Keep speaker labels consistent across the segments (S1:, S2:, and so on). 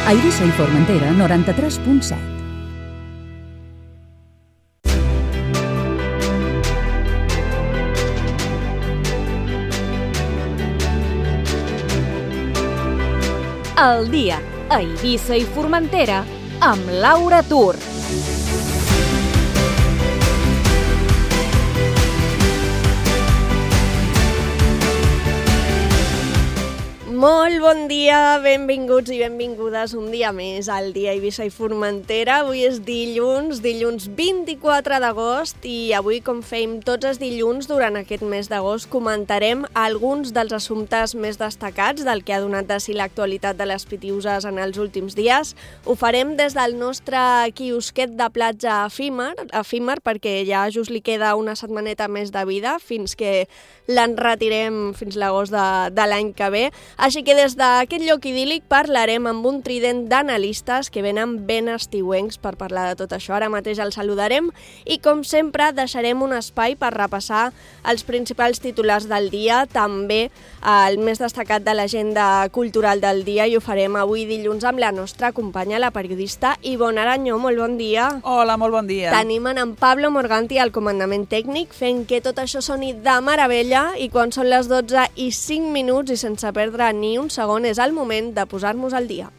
S1: A Eivissa i Formentera, 93.7.
S2: El dia a Eivissa i Formentera amb Laura Tur.
S3: Molt bon dia, benvinguts i benvingudes un dia més al dia Eivissa i Formentera. Avui és dilluns 24 d'agost i avui, com fem tots els dilluns durant aquest mes d'agost, comentarem alguns dels assumptes més destacats del que ha donat de si l'actualitat de les Pitiüses en els últims dies. Ho farem des del nostre quiosquet de platja efímer perquè ja just li queda una setmaneta més de vida fins que l'enretirem fins l'agost de l'any que ve. Així que des d'aquest lloc idíl·lic parlarem amb un trident d'analistes que venen ben estiuencs per parlar de tot això. Ara mateix els saludarem i, com sempre, deixarem un espai per repassar els principals titulars del dia, també el més destacat de l'agenda cultural del dia, i ho farem avui dilluns amb la nostra companya, la periodista Ivonne Aranyó. Molt bon dia.
S4: Hola, molt bon dia.
S3: Tenim en Pablo Morganti al comandament tècnic fent que tot això soni de meravella, i quan són les 12:05 i sense perdre ni un segon és el moment de posar-nos al dia.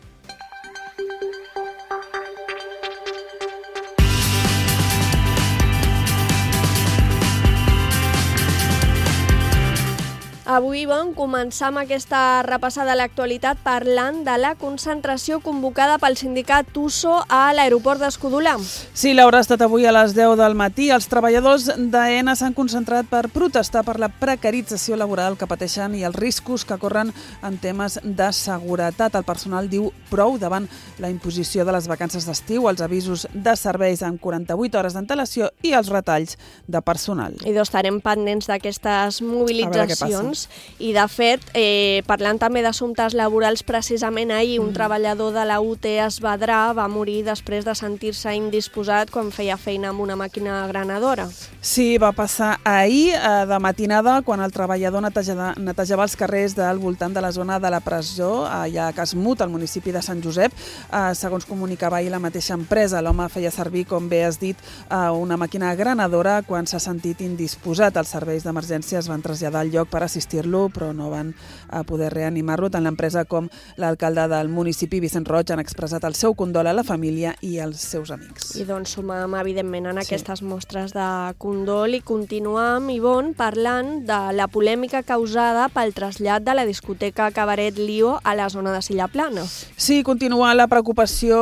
S3: Avui vam començar amb aquesta repassada a l'actualitat parlant de la concentració convocada pel sindicat USO a l'aeroport d'Escudolà.
S4: Sí, Laura, ha estat avui a les 10 del matí. Els treballadors d'AENA s'han concentrat per protestar per la precarització laboral que pateixen i els riscos que corren en temes de seguretat. El personal diu prou davant la imposició de les vacances d'estiu, els avisos de serveis amb 48 hores d'antelació i els retalls de personal.
S3: I estarem pendents d'aquestes mobilitzacions. I, de fet, parlant també d'assumptes laborals, precisament ahir un treballador de la UT Esvedrà va morir després de sentir-se indisposat quan feia feina amb una màquina granadora.
S4: Sí, va passar ahir de matinada quan el treballador netejava els carrers del voltant de la zona de la presó, allà a Casmut, al municipi de Sant Josep. Segons comunicava ahir la mateixa empresa, l'home feia servir, com bé has dit, una màquina granadora quan s'ha sentit indisposat. Els serveis d'emergència es van traslladar al lloc per assistir-lo, però no van poder reanimar-lo. Tant l'empresa com l'alcalde del municipi, Vicent Roig, han expressat el seu condol a la família i als seus amics.
S3: I doncs sumam, evidentment, en aquestes mostres de condol i continuam, Ivonne, parlant de la polèmica causada pel trasllat de la discoteca Cabaret Lío a la zona de Silla Plana.
S4: Sí, continua la preocupació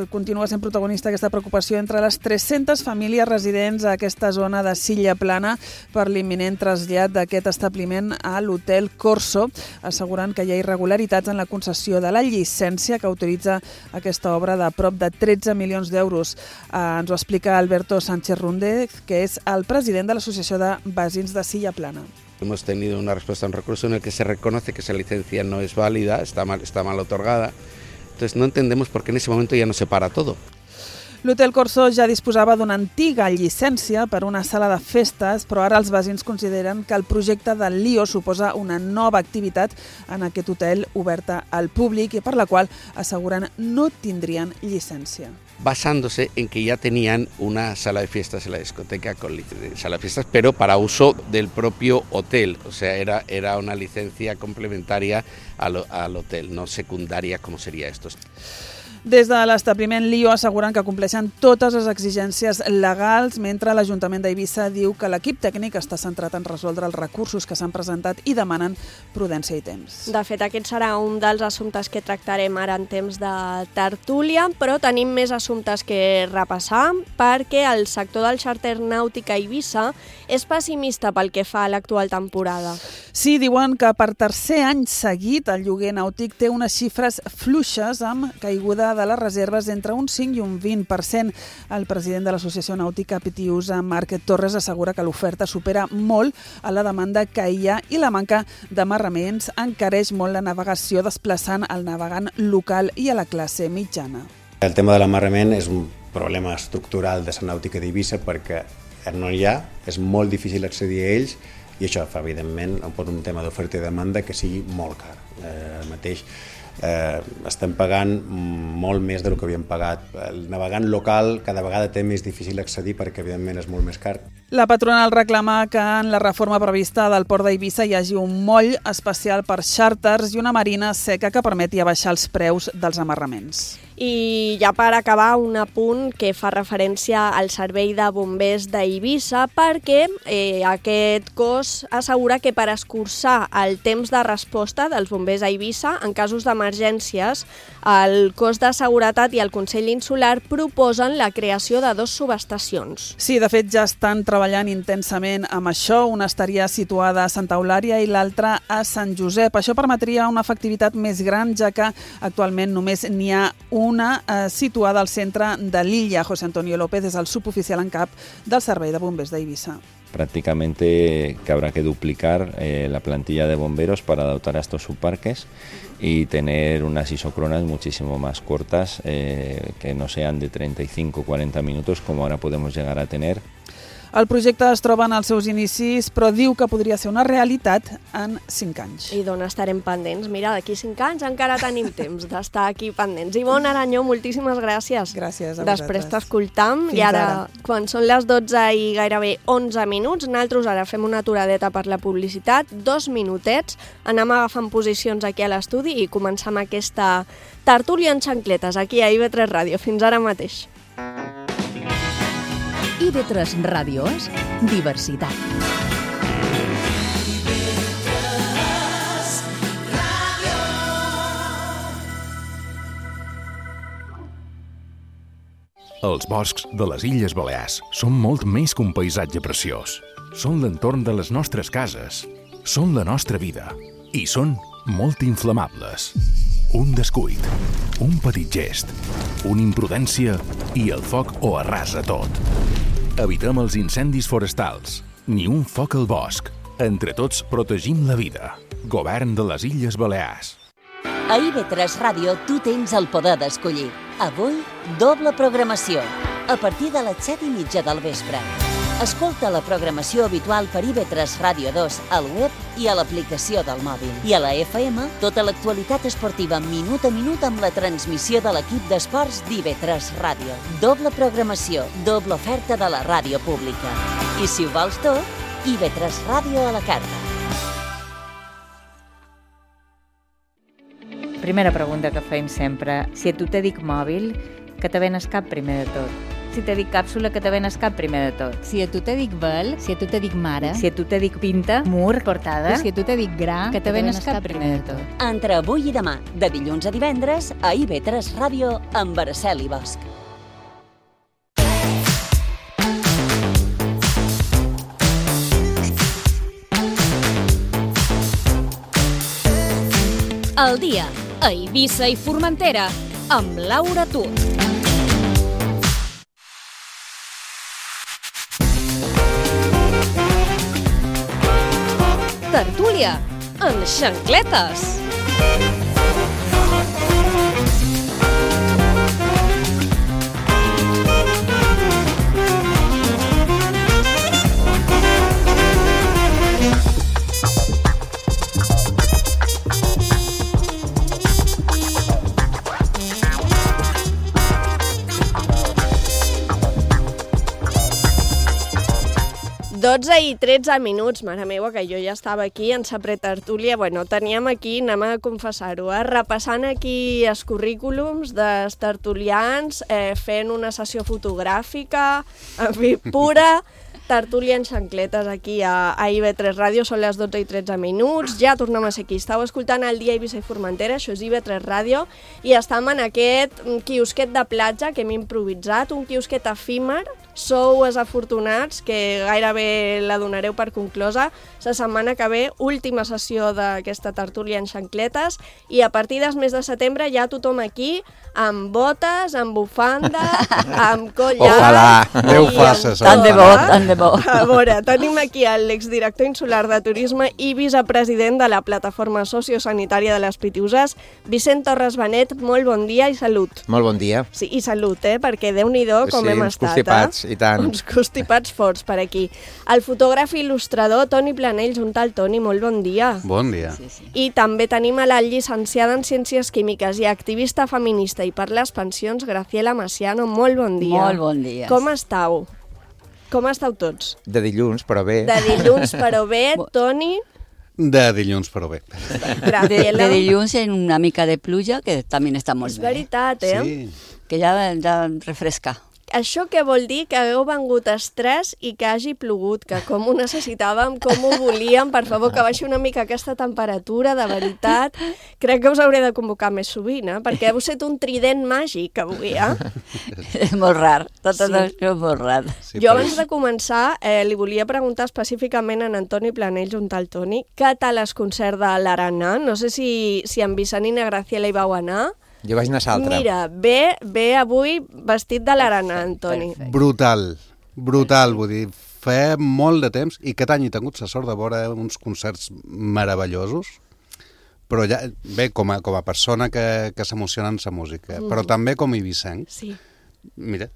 S4: continua sent protagonista aquesta preocupació entre les 300 famílies residents a aquesta zona de Silla Plana per l'imminent trasllat d'aquest establiment a l'Hotel Corso, assegurant que hi ha irregularitats en la concessió de la llicència que autoritza aquesta obra de prop de 13 milions d'euros. Ens ho explica Alberto Sánchez Rúndez, que es el president de l'Associació de Veïns de Silla Plana.
S5: Hemos tenido una respuesta a un recurso en el que se reconoce que esa licencia no es válida, está mal otorgada. Entonces no entendemos por qué en ese momento ya no se para todo.
S4: L'Hotel Corso ja disposava d'una antiga llicència per una sala de festes, però ara els veïns consideren que el projecte del Lío suposa una nova activitat en aquest hotel oberta al públic i per la qual asseguren no tindrien llicència.
S5: Basándose en que ya tenían una sala de fiestas en la discoteca con sala de fiestas, pero para uso del propio hotel. O sea, era una licencia complementaria al hotel, no secundaria como sería esto.
S4: Des de l'establiment Lío asseguren que compleixen totes les exigències legals, mentre l'Ajuntament d'Eivissa diu que l'equip tècnic està centrat en resoldre els recursos que s'han presentat i demanen prudència i temps.
S3: De fet, aquest serà un dels assumptes que tractarem ara en temps de tertúlia, però tenim més assumptes que repassar perquè el sector del xàrter nàutic a Eivissa és pessimista pel que fa a l'actual temporada.
S4: Sí, diuen que per tercer any seguit el lloguer nàutic té unes xifres fluixes amb caiguda de les reserves entre un 5 i un 20%. El president de l'Associació Nàutica Pitiüsa, Marc Torres, assegura que l'oferta supera molt a la demanda que hi ha i la manca d'amarraments encareix molt la navegació, desplaçant el navegant local i a la classe mitjana.
S6: El tema de l'amarrament és un problema estructural de la nàutica d'Eivissa perquè no hi ha, és molt difícil accedir a ells i això fa, evidentment, un tema d'oferta i demanda que sigui molt car. El mateix estem pagant molt més del que havíem pagat. El navegant local cada vegada té més difícil accedir perquè, evidentment, és molt més car.
S4: La patronal reclama que en la reforma prevista del port d'Eivissa hi hagi un moll especial per xàrters i una marina seca que permeti abaixar els preus dels amarraments.
S3: I ja per acabar, un apunt que fa referència al servei de bombers d'Eivissa, perquè aquest cos assegura que per escurçar el temps de resposta dels bombers a Eivissa en casos d'emergències, el cos de seguretat i el Consell Insular proposen la creació de 2 subestacions.
S4: Sí, de fet ja estan treballant intensament amb això. Una estaria situada a Santa Eulària i l'altra a Sant Josep. Això permetria una efectivitat més gran, ja que actualment només n'hi ha una situada al centre de l'illa. José Antonio López és el suboficial en cap del Servei de Bombers d'Eivissa.
S7: Prácticamente que habrá que duplicar la plantilla de bomberos para dotar a estos subparques y tener unas isocronas muchísimo más cortas, que no sean de 35 o 40 minutos como ahora podemos llegar a tener.
S4: El projecte es troba en els seus inicis, però diu que podria ser una realitat en 5 anys.
S3: I d'on estarem pendents? Mira, d'aquí 5 anys encara tenim temps d'estar aquí pendents. Ivonne Aranyó, moltíssimes gràcies.
S4: Gràcies a vosaltres.
S3: Després t'escoltam.
S4: Fins
S3: I ara,
S4: ara,
S3: quan són les 12 i gairebé 11 minuts, nosaltres ara fem una aturadeta per la publicitat, 2 minutets, anem agafant posicions aquí a l'estudi i començam aquesta tertúlia en xancletes aquí a IB3 Ràdio. Fins ara mateix.
S1: IB3 Ràdio és diversitat.
S8: Els boscs de les Illes Balears són molt més que un paisatge preciós. Són l'entorn de les nostres cases, són la nostra vida i són molt inflamables. Un descuit, un petit gest, una imprudència i el foc ho arrasa tot. Evitem els incendis forestals, ni un foc al bosc. Entre tots protegim la vida. Govern de les Illes Balears.
S9: A IB3 Ràdio tu tens el poder d'escollir. Avui, doble programació, a partir de les 7:30 del vespre. Escolta la programació habitual per IB3 Ràdio 2 al web i a l'aplicació del mòbil. I a la FM, tota l'actualitat esportiva minut a minut amb la transmissió de l'equip d'esports d'IB3 Ràdio. Doble programació, doble oferta de la ràdio pública. I si ho vols tot, IB3 Ràdio a la carta.
S10: Primera pregunta que fem sempre. Si a tu te dic mòbil, que te venes cap primer de tot? Si te dic càpsula, que te venes cap primer de tot?
S11: Si a tu te dic vel, si a tu te dic mare,
S10: si a tu te dic pinta, mur, portada,
S11: si a tu te dic gra,
S10: que te venes cap primer de tot?
S9: Entre avui i demà, de dilluns a divendres, a IB3 Ràdio amb Araceli Bosch.
S2: El dia a Eivissa i Formentera amb Laura Tut. Tertúlia en xancletes.
S3: Dotze i 13 minuts, mare meva, que jo ja estava aquí en sa pretertúlia. Bueno, teníem aquí, anem a confessar-ho, repassant aquí els currículums dels tertulians, fent una sessió fotogràfica, en fi, pura tertúlia en xancletes aquí a IB3 Ràdio. Són les 12 i 13 minuts, ja tornem a ser aquí. Estàu escoltant El dia a Eivissa i Formentera, això és IB3 Ràdio, i estem en aquest quiosquet de platja que hem improvisat, un quiosquet efímer. Sou els afortunats, que gairebé la donareu per conclosa. La setmana que ve, última sessió d'aquesta tertúlia en xancletes, i a partir del mes de setembre ja tothom aquí, amb botes, amb bufanda, amb collar...
S12: Ojalà, Déu faça això.
S10: Tant de bo, tant de bo.
S3: A veure, tenim aquí l'exdirector insular de turisme i vicepresident de la plataforma sociosanitària de les Pitiuses, Vicent Torres Benet. Molt bon dia i salut.
S12: Molt bon dia.
S3: Sí, i salut, perquè Déu-n'hi-do com hem estat.
S12: Constipats,
S13: i tant.
S3: Uns constipats forts per aquí. El fotògraf i il·lustrador Toni Planells, un tal Toni, molt bon dia.
S12: Bon dia.
S3: I també tenim a la llicenciada en Ciències Químiques i activista feminista i per les pensions, Graciela Maciano, molt bon dia.
S14: Molt bon dia.
S3: Com estàu? Com estàu tots?
S13: De dilluns, però bé.
S3: De dilluns, però bé. Toni?
S12: De dilluns, però bé.
S14: De dilluns en una mica de pluja, que també està molt bé.
S3: És veritat, eh?
S12: Sí.
S14: Que ja refresca.
S3: Això què vol dir? Que hagueu vengut estrès i que hagi plogut, que com ho necessitàvem, com ho volíem, per favor, que baixi una mica aquesta temperatura, de veritat. Crec que us hauré de convocar més sovint, perquè heu set un trident màgic avui,
S14: És molt rar, tot això és molt rar.
S3: Jo abans de començar li volia preguntar específicament a en Toni Planells, un tal Toni, què tal el concert de l'Arana? No sé si en Vicent i na Graciela hi vau anar.
S13: Jo vaig anar a Saltra.
S3: Mira, ve avui vestit de l'Arana, Antoni.
S12: Brutal, vull dir, fa molt de temps, i aquest any he tingut la sort de veure uns concerts meravellosos, però ja, bé, com a persona que s'emociona en la música, però també com a ibicenc.
S3: Sí.
S12: Mira,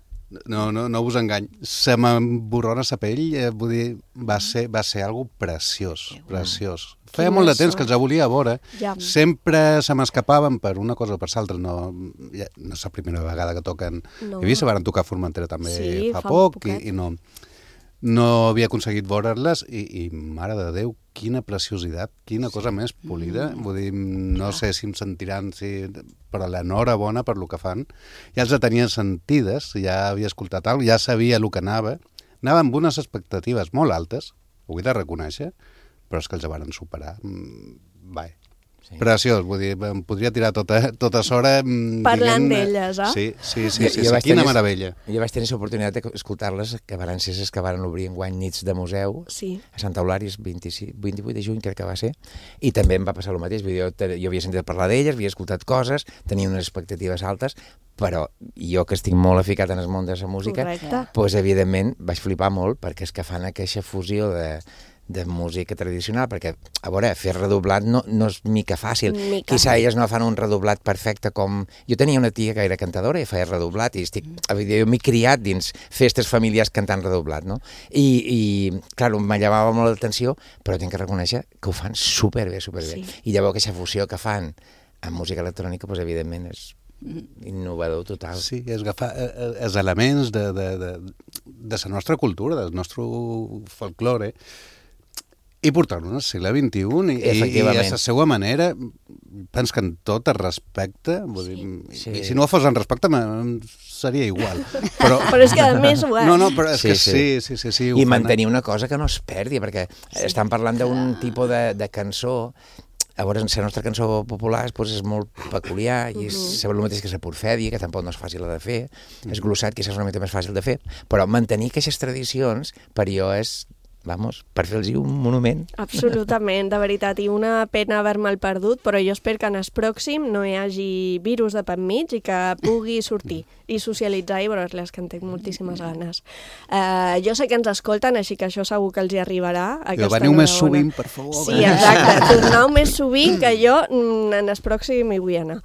S12: no us engany, se m'emborrona la pell, vull dir, va ser algo preciós. Feia molt de temps que els volia veure, sempre se m'escapaven per una cosa o per l'altra, no és la primera vegada que toquen Eivissa, varen tocar a Formentera també fa poc, i no havia aconseguit veure-les, i mare de Déu, quina preciositat, quina cosa més polida, vull dir, no sé si em sentiran, però l'enhorabona per lo que fan, ja els tenia sentides, ja havia escoltat alguna cosa, ja sabia el que anava amb unes expectatives molt altes, ho he de reconèixer, però és que els varen superar. Preciós, vull dir, em podria tirar tota l'hora
S3: parlant d'elles,
S12: Sí, quina meravella.
S13: Jo vaig tenir l'oportunitat d'escoltar-les, que van ser les que van obrir enguany nits de museu a Santa Eulària, 28 de juny crec que va ser, i també em va passar el mateix. Jo havia sentit parlar d'elles, havia escoltat coses, tenia unes expectatives altes, però jo que estic molt aficat en el món de la música, doncs evidentment vaig flipar molt, perquè és que fan aquesta fusió de música tradicional, perquè, a veure, fer redoblat no és mica fàcil. Quizà elles no fan un redoblat perfecte com... Jo tenia una tia que era cantadora i feia redoblat, i jo m'he criat dins festes familiars cantant redoblat, no? I clar, me llamava molt l'atenció, però tinc que reconèixer que ho fan superbé. I llavors aquesta fusió que fan amb música electrònica, doncs evidentment és innovador total.
S12: Sí, és agafar els elements de la nostra cultura, del nostre folklore, i portar-lo al segle XXI, i a la seva manera, penso que en tot es respecta, i si no fos en respecte seria igual. Però
S3: és que a més ho és.
S12: No, però és que sí.
S13: I mantenir una cosa que no es perdi, perquè estan parlant d'un tipus de cançó. A veure, la nostra cançó popular és molt peculiar, i és el mateix que la porfèdia, que tampoc no és fàcil de fer, és glossat, que és una mica més fàcil de fer, però mantenir aquestes tradicions per jo és, per fer-los un monument.
S3: Absolutament, de veritat, i una pena haver-me'l perdut, però jo espero que en el pròxim no hi hagi virus de per mig i que pugui sortir i socialitzar i veure-les, que en tinc moltíssimes ganes. Jo sé que ens escolten, així que això segur que els hi arribarà.
S12: Veniu més sovint, per favor.
S3: Sí, exacte, torneu més sovint, que jo en el pròxim hi vull anar.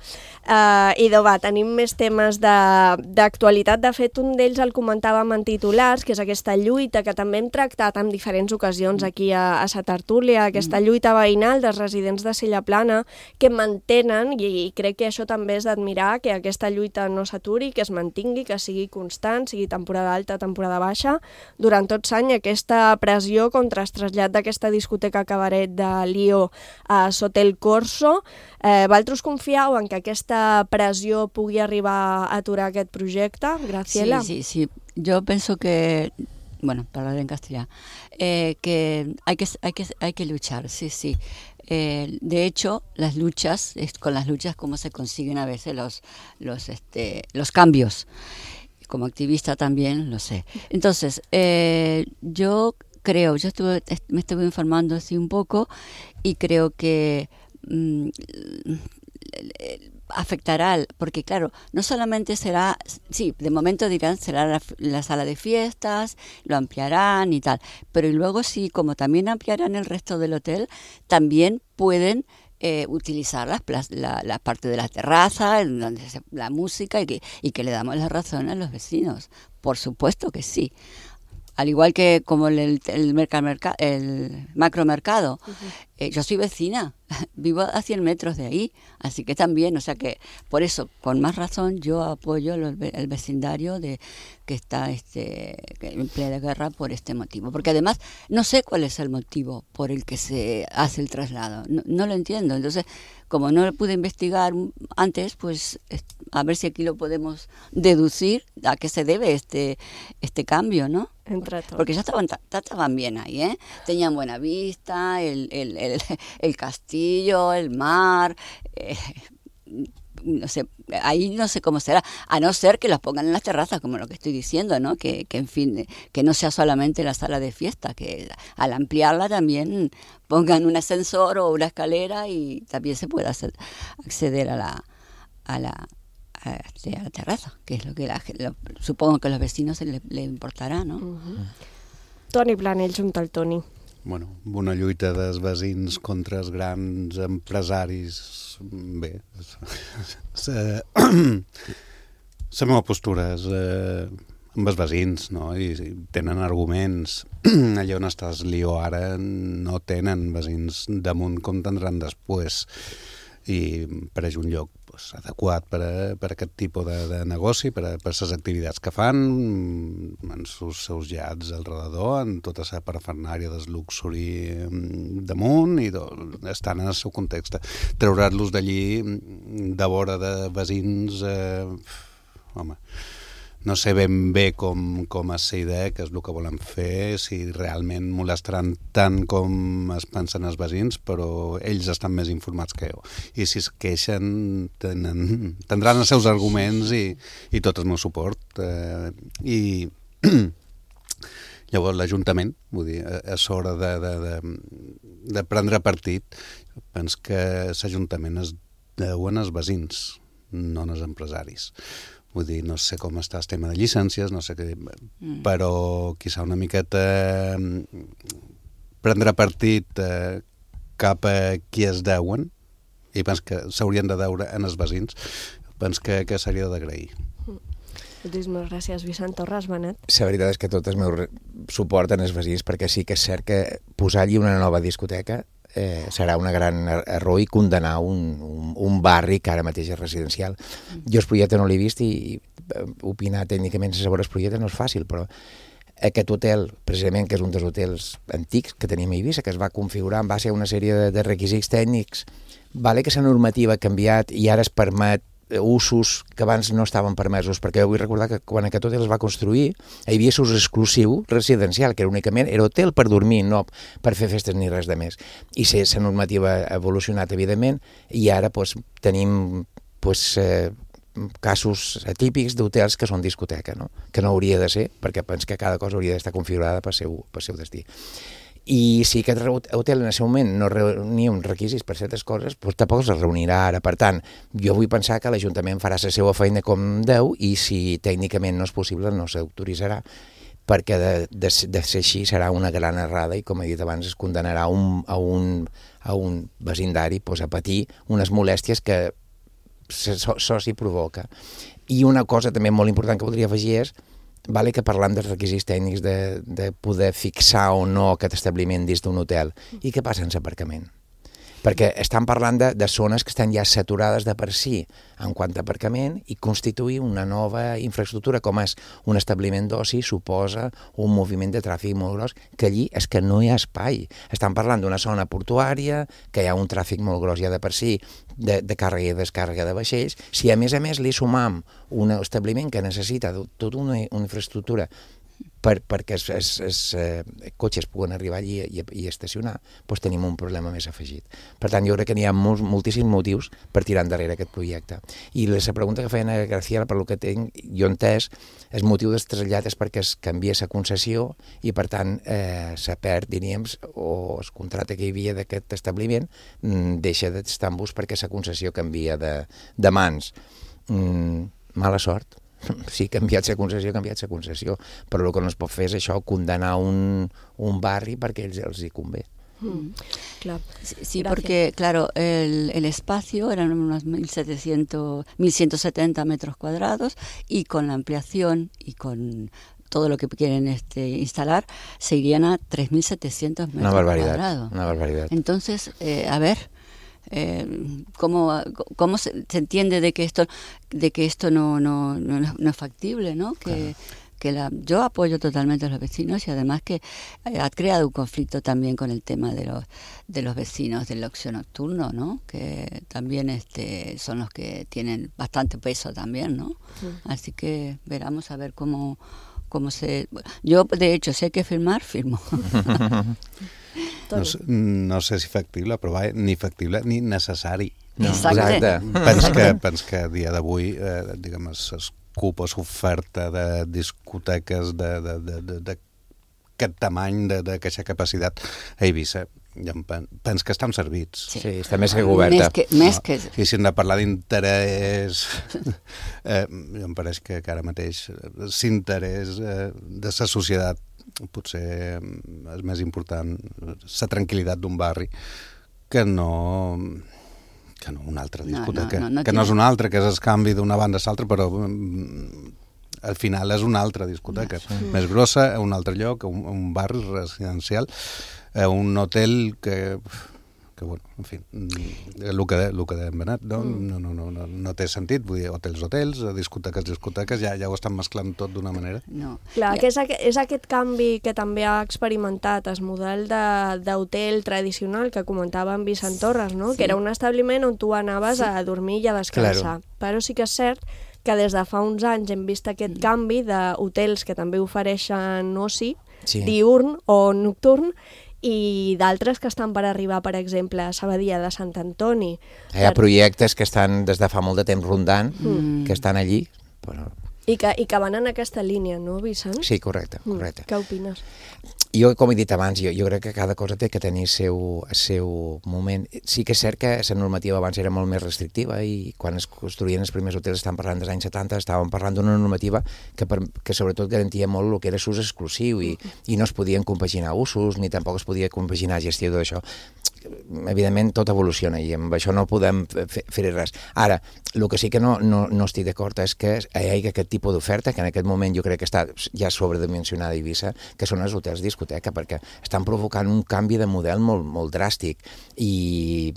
S3: I tenim més temes d'actualitat. De fet, un d'ells el comentàvem en titulars, que és aquesta lluita que també hem tractat en diferents ocasions aquí a sa tertúlia, aquesta lluita veïnal dels residents de Sella Plana, que mantenen, i crec que això també és d'admirar, que aquesta lluita no s'aturi, que es mantingui, que sigui constant, sigui temporada alta, temporada baixa, durant tot l'any, aquesta pressió contra el trasllat d'aquesta discoteca cabaret de Lió a Sotel Corso. Vosaltres confieu en que aquesta pressió pugui arribar a aturar aquest projecte, Graciela?
S14: Sí. Yo pienso que, para hablar en castellano, que hay que luchar, sí. De hecho, con las luchas como se consiguen a veces los cambios. Como activista también lo sé. Entonces, yo me estuve informando así un poco, y creo que afectará, porque claro, no solamente será, sí, de momento dirán será la sala de fiestas, lo ampliarán y tal, pero y luego sí, como también ampliarán el resto del hotel, también pueden utilizar la parte de la terraza, donde la música y que le damos la razón a los vecinos. Por supuesto que sí. Al igual que como el macromercado. Yo soy vecina, vivo a 100 metros de ahí, así que también, o sea que por eso, con más razón, yo apoyo el vecindario que está en plena guerra por este motivo. Porque además no sé cuál es el motivo por el que se hace el traslado, no lo entiendo. Entonces, como no pude investigar antes, pues a ver si aquí lo podemos deducir a qué se debe este cambio, ¿no?
S3: Entre todos.
S14: Porque ya estaban bien ahí, ¿eh? Tenían buena vista, el castillo, el mar, no sé, ahí no sé cómo será, a no ser que las pongan en las terrazas, como lo que estoy diciendo, ¿no? Que en fin, que no sea solamente la sala de fiesta, que al ampliarla también pongan un ascensor o una escalera y también se pueda acceder a la terraza, que es lo que supongo que a los vecinos le importarà, no?
S3: Toni Planell, junta al Toni.
S12: Bueno, una lluita dels veïns contra els grans empresaris, bé, la meva postura és amb els veïns, no? I tenen arguments. Allà on estàs Lió ara no tenen veïns damunt com tindran després, i pareix un lloc adequat per a aquest tipus de negoci, per a les activitats que fan, en els seus llats al redador, en tota la parafernària del luxury damunt, i estan en el seu context. Treurar-los d'allí de vora de veïns, home, no sé ben bé com és la idea, que és el que volen fer, si realment molestaran tant com es pensen els veïns, però ells estan més informats que jo. I si es queixen, tindran els seus arguments i tot el meu suport. I llavors l'Ajuntament, vull dir, és hora de prendre partit. Penso que l'Ajuntament es deuen als veïns, no als empresaris. Vull dir, no sé com està el tema de llicències, no sé què, però quizà una miqueta prendre partit cap a qui es deuen, i penso que s'haurien de deure en els veïns, penso que seria d'agrair.
S3: Moltíssimes gràcies, Vicent Torres. Benet.
S13: La veritat és que tot el meu suport en els veïns, perquè sí que és cert que posar allí una nova discoteca serà un gran error i condenar un barri que ara mateix és residencial. Jo Esprolleta no l'he vist i opinar tècnicament sobre Esprolleta no és fàcil, però aquest hotel, precisament, que és un dels hotels antics que tenim a Eivissa, que es va configurar en base a una sèrie de requisits tècnics, vale que la normativa ha canviat i ara es permet usos que abans no estaven permesos, perquè vull recordar que quan aquest hotel es va construir hi havia ús exclusiu residencial, que únicament era hotel per dormir, no per fer festes ni res de més. I la normativa ha evolucionat, evidentment, i ara tenim casos atípics d'hotels que són discoteca, no? Que no hauria de ser, perquè penso que cada cosa hauria d'estar configurada pel seu destí. I si aquest hotel en el seu moment no reunia uns requisits per certes coses, doncs tampoc es reunirà ara. Per tant, jo vull pensar que l'Ajuntament farà la seva feina com deu i si tècnicament no és possible no s'autoritzarà, perquè de ser així serà una gran errada i, com he dit abans, es condenarà a un vecindari a patir unes molèsties que això s'hi provoca. I una cosa també molt important que voldria afegir és vale que parlam dels requisits tècnics de poder fixar o no aquest establiment dins d'un hotel. I què passa amb l'aparcament? Perquè estan parlant de zones que estan ja saturades de per si en quant a aparcament i constituir una nova infraestructura com és un establiment d'oci suposa un moviment de tràfic molt gros que allí és que no hi ha espai. Estan parlant d'una zona portuària, que hi ha un tràfic molt gros ja de per si, de càrrega i descàrrega de vaixells. Si a més li sumam un establiment que necessita tota una infraestructura perquè els cotxes puguen arribar allí i estacionar, doncs tenim un problema més afegit. Per tant, jo crec que n'hi ha moltíssims motius per tirar endarrere aquest projecte. I la pregunta que feien a Graciela, per lo que jo entès, el motiu del trasllat és perquè es canvia la concessió i, per tant, se perd, diríem, o el contracte que hi havia d'aquest establiment deixa d'estar en ús perquè la concessió canvia de mans. Mala sort. Si ha canviat la concessió, però el que no es pot fer és això, condenar un barri perquè els hi convé.
S3: Claro.
S14: Sí, porque, claro, el espacio eran unos 1.170 metros cuadrados y con la ampliación y con todo lo que quieren instalar, se irían a 3.700 metros cuadrados.
S13: Una barbaridad.
S14: Entonces, a ver, ¿cómo se entiende de que esto no es factible, ¿no? Yo apoyo totalmente a los vecinos y además que ha creado un conflicto también con el tema de los vecinos del ocio nocturno, ¿no? Que también son los que tienen bastante peso también, ¿no? Sí. Así que veremos a ver cómo se... Yo, de hecho, si hay que firmar, firmo.
S12: No sé si factible, però ni factible ni necessari.
S14: No. Exacte.
S12: Pens que a dia d'avui, diguem, s'ocupa s'oferta de discoteques d'aquest tamany, d'aquesta capacitat a Eivissa. Pens que estan servits.
S13: Sí, està més que coberta.
S12: I si hem de parlar d'interès, em pareix que ara mateix l'interès de la societat potser és més important la tranquil·litat d'un barri que no una altra discoteca, que no és una altra, que és el canvi d'una banda a l'altra, però al final és una altra discoteca, més grossa, a un altre lloc, a un barri residencial, a un hotel que bueno, en fi, el que hem anat, no té sentit, vull dir, hotels, discoteques, ja ho estan mesclant tot d'una manera.
S3: No. Clar, que és aquest canvi que també ha experimentat el model d'hotel tradicional que comentava en Vicent Torres, no? Que era un establiment on tu anaves a dormir i a descansar. Però sí que és cert que des de fa uns anys hem vist aquest canvi d'hotels que també ofereixen oci, diurn o nocturn, i d'altres que estan per arribar, per exemple, a Sabadia de Sant Antoni.
S13: Hi ha projectes que estan des de fa molt de temps rondant, que estan allí. Però...
S3: I que van en aquesta línia, no, Vicent?
S13: Sí, correcte.
S3: Què opines?
S13: Jo, com he dit abans, jo crec que cada cosa té que tenir el seu moment. Sí que és cert que la normativa abans era molt més restrictiva i quan es construïen els primers hotels, estan parlant dels anys 70, estàvem parlant d'una normativa que sobretot garantia molt el que era l'ús exclusiu i no es podien compaginar usos ni tampoc es podia compaginar gestió d'això. Evidentment tot evoluciona i amb això no podem fer res. Ara, el que sí que no estic d'acord és que hi hagi aquest tipus d'oferta que en aquest moment jo crec que està ja sobredimensionada a Eivissa, que són els hotels discoteca, perquè estan provocant un canvi de model molt dràstic i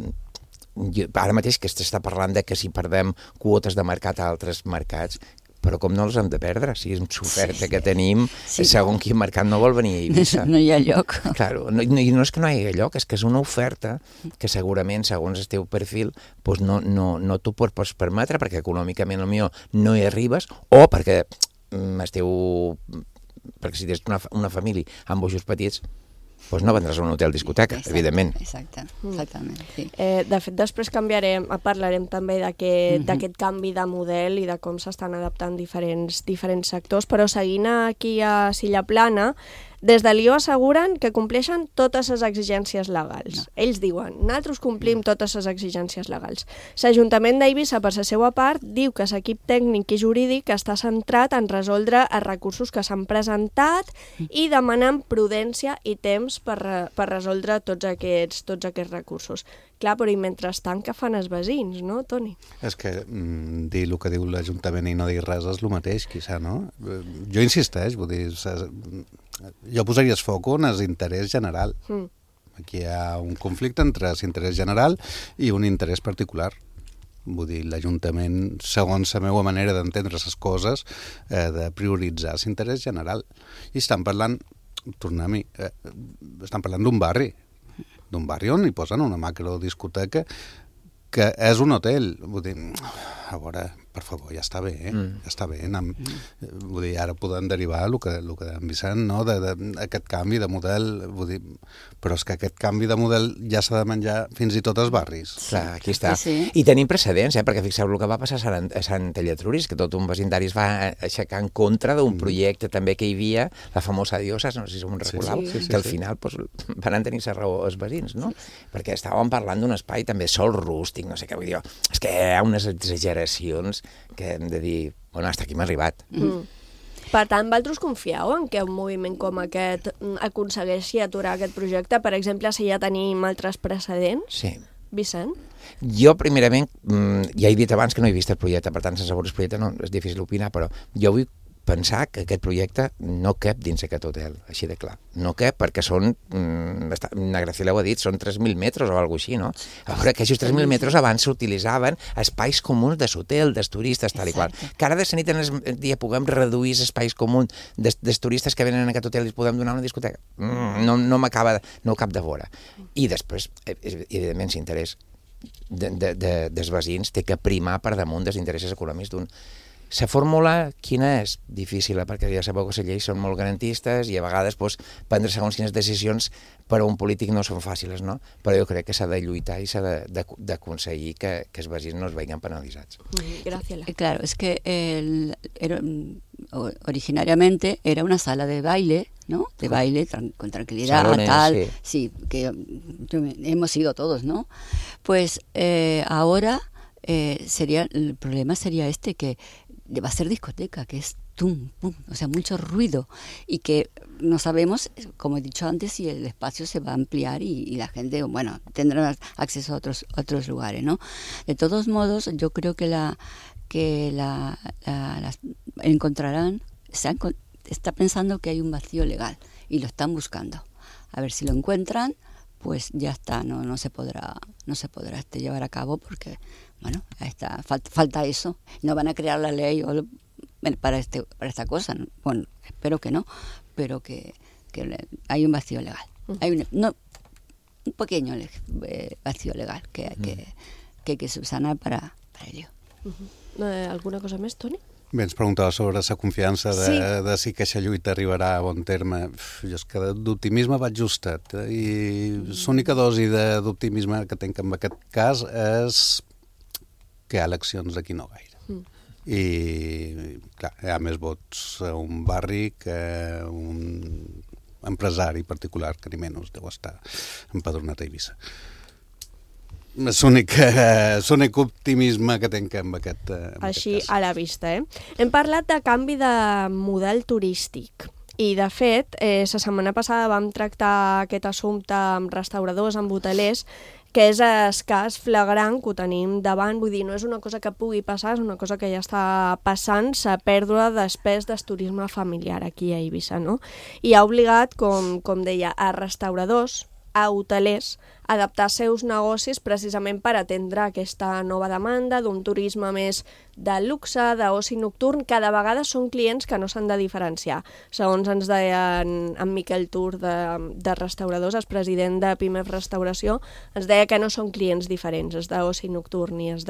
S13: ara mateix que s'està parlant de que si perdem quotes de mercat a altres mercats, però com no els hem de perdre? Si és l'oferta que tenim, segons quin mercat no vol venir a Eivissa.
S14: No hi ha lloc.
S13: Claro, no és que no hi hagi lloc, és que és una oferta que segurament, segons el teu perfil, no t'ho pots permetre perquè econòmicament potser no hi arribes o perquè si tens una família amb bojos petits, doncs no vendràs a un hotel discoteca, evidentment.
S14: Exactament, sí.
S3: De fet, després parlarem també d'aquest canvi de model i de com s'estan adaptant diferents sectors, però seguint aquí a Silla Plana, des de l'IO asseguren que compleixen totes les exigències legals. Ells diuen, nosaltres complim totes les exigències legals. L'Ajuntament d'Eivissa, per la seva part, diu que l'equip tècnic i jurídic està centrat en resoldre els recursos que s'han presentat i demanen prudència i temps per resoldre tots aquests recursos. Clar, però i mentrestant què fan els veïns, no, Toni?
S12: És que dir el que diu l'Ajuntament i no dir res és el mateix, quizà, no? Jo insisteix, vull dir, jo posaria el foc en l'interès general. Aquí hi ha un conflicte entre l'interès general i un interès particular. Vull dir, l'Ajuntament, segons la meva manera d'entendre les coses, de prioritzar l'interès general. I estan parlant, tornem-hi, estan parlant d'un barri on hi posen una macrodiscoteca que és un hotel. Vull dir, a veure, per favor, ja està bé, ja està bé. Vull dir, ara podem derivar el que en Vicent, no?, d'aquest canvi de model, vull dir, però és que aquest canvi de model ja s'ha de menjar fins i tot als barris.
S13: Clar, aquí està. I tenim precedents, perquè fixeu el que va passar a Sant Elletruris, que tot un vecindari es va aixecar en contra d'un projecte també que hi havia, la famosa Diosa, no sé si us recordeu, que al final van tenir la raó els veïns, no? Perquè estàvem parlant d'un espai també sol rústic, no sé què vull dir, és que hi ha unes exageracions que hem de dir, bueno, hasta aquí m'ha arribat.
S3: Per tant, vosaltres confieu en que un moviment com aquest aconsegueixi aturar aquest projecte? Per exemple, si ja tenim altres precedents?
S13: Sí.
S3: Vicent?
S13: Jo, primerament, ja he dit abans que no he vist el projecte, per tant, sense veure el projecte no és difícil opinar, però jo vull pensar que aquest projecte no cap dins aquest hotel, així de clar. No cap perquè són, na Graciela ho ha dit, són 3.000 metres o alguna cosa així, no? A veure, que aquests 3.000 metres abans s'utilitzaven espais comuns de l'hotel, dels turistes, tal i qual. Que ara de la nit en el dia puguem reduir els espais comuns dels turistes que venen en aquest hotel i els podem donar una discoteca. No cap de vora. I després, evidentment, l'interès dels veïns té que primar per damunt dels interessos econòmics d'un. La fórmula, quina és? Difícil, perquè ja sabeu que les lleis són molt garantistes i a vegades prendre segons quines decisions per a un polític no són fàcils, no? Però jo crec que s'ha de lluitar i s'ha d'aconseguir que els veïns no es vegin penalitzats.
S3: Graciela.
S14: Claro, es que originariamente era una sala de baile, ¿no? De baile con tranquilidad, salones, tal. Sí, que hemos ido todos, ¿no? Pues ahora el problema sería que va a ser discoteca, que es tum, pum, o sea, mucho ruido y que no sabemos, como he dicho antes, si el espacio se va a ampliar y la gente, bueno, tendrá acceso a otros lugares, ¿no? De todos modos, yo creo que encontrarán, está pensando que hay un vacío legal y lo están buscando. A ver si lo encuentran, pues ya está, no se podrá llevar a cabo porque, bueno, falta eso. No van a crear la ley para esta cosa. Bueno, espero que no, pero que hay un vacío legal. Hay un pequeño vacío legal que hay que subsanar para ello.
S3: ¿Alguna cosa més, Toni?
S12: Bé, ens preguntava sobre la confiança de si aquesta lluita arribarà a bon terme. Jo és que d'optimisme vaig justet. I l'única dosi d'optimisme que tinc en aquest cas és que hi ha eleccions d'aquí no gaire. I, clar, hi ha més vots a un barri que un empresari particular, que ni menys deu estar empadronat a Eivissa. És l'únic optimisme que tinc amb aquest cas.
S3: Així a la vista, Hem parlat de canvi de model turístic i, de fet, la setmana passada vam tractar aquest assumpte amb restauradors, amb hotelers, que és escàs, flagrant, que ho tenim davant. Vull dir, no és una cosa que pugui passar, és una cosa que ja està passant, la pèrdua després del turisme familiar aquí a Eivissa, no? I ha obligat, com deia, a restauradors, a hotelers, adaptar seus negocis precisament per atendre aquesta nova demanda d'un turisme més de luxe, d'oci nocturn, que de vegades són clients que no s'han de diferenciar. Segons ens deia en Miquel Tur de Restauradors, el president de PIMEF Restauració, ens deia que no són clients diferents, els d'oci nocturn i els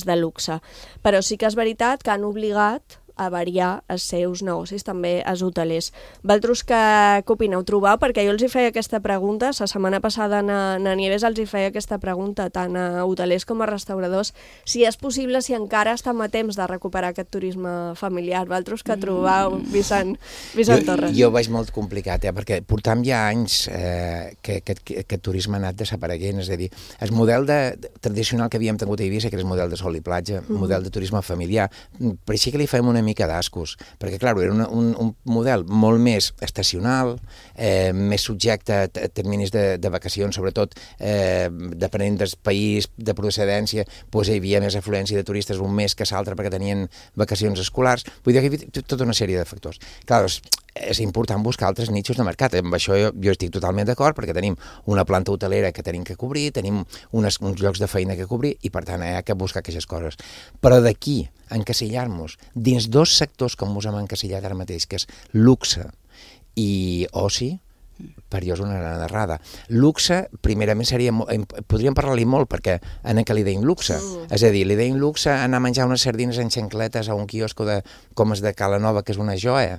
S3: de luxe. Però sí que és veritat que han obligat a variar els seus negocis, també els hotelers. Vosaltres què opineu? Trobeu? Perquè jo els hi feia aquesta pregunta, la setmana passada na Nieves els hi feia aquesta pregunta tant a hotelers com a restauradors, si és possible, si encara estem a temps de recuperar aquest turisme familiar. Vosaltres què trobeu, Vicent Torres?
S13: Jo veig molt complicat, perquè portam ja anys que aquest turisme ha anat desapareguent, és a dir, el model tradicional que havíem tingut a Eivissa, que era el model de sol i platja, model de turisme familiar, per així que li fem una mica d'ascos, perquè, clar, era un model molt més estacional, més subjecte a terminis de vacacions, sobretot depenent del país de procedència, doncs hi havia més afluència de turistes un mes que l'altre perquè tenien vacacions escolars. Vull dir que hi havia tota una sèrie de factors. Clar, és important buscar altres nichos de mercat. Amb això jo estic totalment d'acord, perquè tenim una planta hotelera que tenim que cobrir, tenim uns llocs de feina que cobrir, i per tant hi ha que buscar aquestes coses. Però d'aquí encasillar-nos dins dos sectors com us hem encasillat ara mateix, que és luxe i oci, per jo és una gran errada. Luxe, primerament, podríem parlar-li molt, perquè en què li deim luxe. És a dir, li deim luxe anar a menjar unes sardines en xancletes a un quiosco com és de Cala Nova, que és una joia,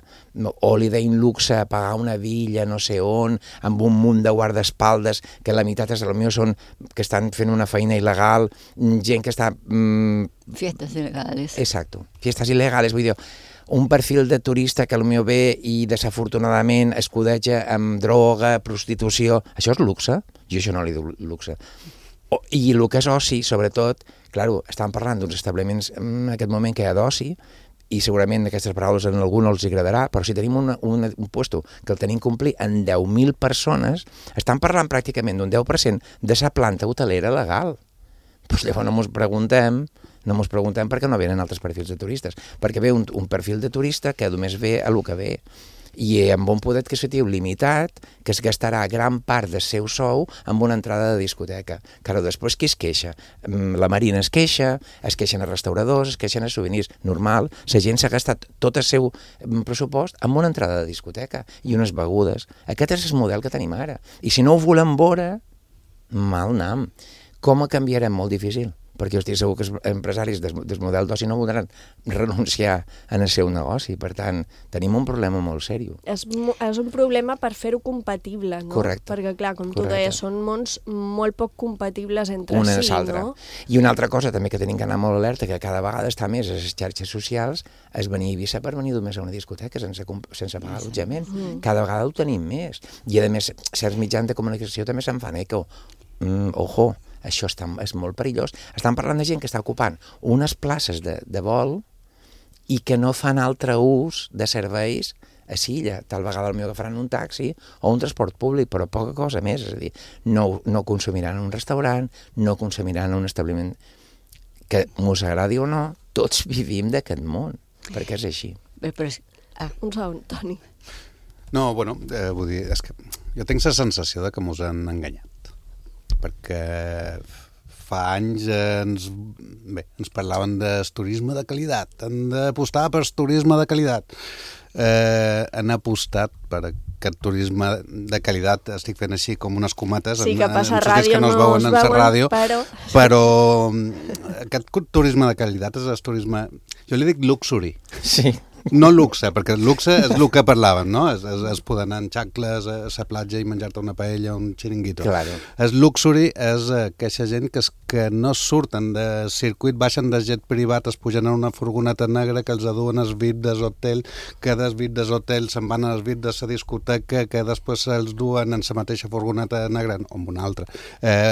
S13: o li deim luxe a pagar una villa no sé on, amb un munt de guardaespaldes, que la meitat és el meu són que estan fent una feina il·legal, gent que està...
S14: Fiestas ilegales.
S13: Exacto, fiestas ilegales, vull dir, un perfil de turista que potser ve i desafortunadament escudeja amb droga, prostitució. Això és luxe? Jo això no li dic luxe. I el que és oci, sobretot, clar, estan parlant d'uns establiments en aquest moment que hi ha d'oci, i segurament aquestes paraules a algú no els agradarà, però si tenim un puesto que el tenim complir en 10.000 persones, estan parlant pràcticament d'un 10% de sa planta hotelera legal. Doncs llavors no ens preguntem per què no venen altres perfils de turistes, perquè ve un perfil de turista que només ve a lo que ve, i amb un poder adquisitiu limitat que es gastarà gran part del seu sou amb una entrada de discoteca. Claro, després qui es queixa? La Marina es queixen a restauradors, es queixen a souvenirs. Normal, la gent s'ha gastat tot el seu pressupost amb una entrada de discoteca i unes begudes. Aquest és el model que tenim ara. I si no ho volem veure, mal nam. Com ho canviarem? Molt difícil. Perquè jo estic segur que els empresaris del model d'oci no voldran renunciar en el seu negoci. Per tant, tenim un problema molt seriós.
S3: És un problema per fer-ho compatible, no?
S13: Correcte.
S3: Perquè, clar, com tu deies, són mons molt poc compatibles entre si, no?
S13: I una altra cosa també que tenim que anar molt alerta, que cada vegada està més a les xarxes socials, és venir a Eivissa per venir només a una discoteca sense pagar allotjament. Cada vegada ho tenim més. I, a més, certs mitjans de comunicació també se'n fan eco. Ojo, això és molt perillós. Estan parlant de gent que està ocupant unes places de vol i que no fan altre ús de serveis a Silla. Tal vegada potser agafaran un taxi o un transport públic, però poca cosa més. És a dir, no consumiran en un restaurant, no consumiran en un establiment. Que mos agradi o no, tots vivim d'aquest món, perquè és així.
S3: Un segon, Toni.
S12: No, bueno, vull dir, és que jo tinc la sensació de que mos han enganyat. Perquè fa anys ens parlaven del turisme de qualitat, han d'apostar per turisme de qualitat. Han apostat per aquest turisme de qualitat, estic fent així com unes comates,
S3: sí, que passa a ràdio,
S12: no es veuen en la ràdio, però aquest turisme de qualitat és el turisme, jo li dic luxury.
S13: Sí.
S12: No luxe, perquè el luxe és el que parlàvem, no? És poder anar en xancles a la platja i menjar-te una paella o un xiringuito.
S13: Claro.
S12: El luxury és aquesta gent que no surten de circuit, baixen de jet privat, es pugen en una furgoneta negra que els aduen als VIP del hotel, que dels VIP del hotel se'n van als VIP de la discoteca, que després se'ls duen en la mateixa furgoneta negra, o en una altra,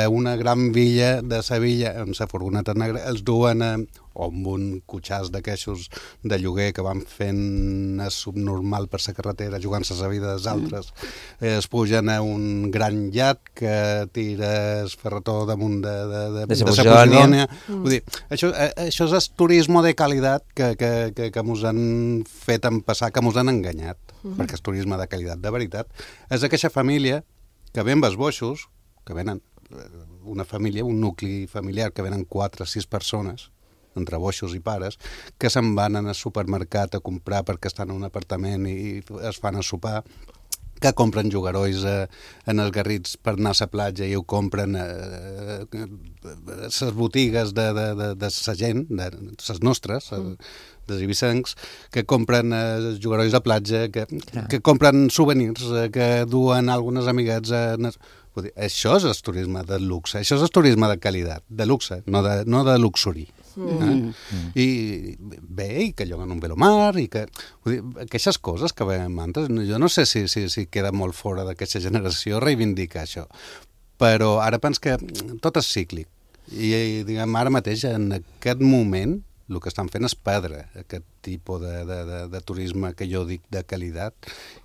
S12: una gran villa de Sevilla, en la furgoneta negra, els duen o amb un cotxàs d'aquestos de lloguer que van fent subnormal per la carretera, jugant-se la vida dels altres. Es pugen a un gran iat que tira el ferretó damunt de Posidònia. Vull dir, això és el turisme de qualitat que mos han fet passar, que mos han enganyat, perquè el turisme de qualitat de veritat és aquesta família que ve amb els boixos, que venen una família, un nucli familiar, que venen 4 o 6 persones, entre boixos i pares, que se'n van al supermercat a comprar perquè estan en un apartament i es fan a sopar, que compren jugarolls en els Garrits per anar a la platja i ho compren a les botigues de la gent, de les nostres, dels ibicencs, que compren jugarolls de platja, que compren souvenirs, que duen algunes amiguets Vull dir, això és el turisme de luxe, això és el turisme de qualitat, de luxe, no de luxuri. I bé, i que lloguen un velomar, i que... Vull dir, aquestes coses que veiem antes, jo no sé si queda molt fora d'aquesta generació reivindicar això, però ara pens que tot és cíclic. I diguem, ara mateix, en aquest moment, el que estan fent és perdre aquest tipus de turisme que jo dic de qualitat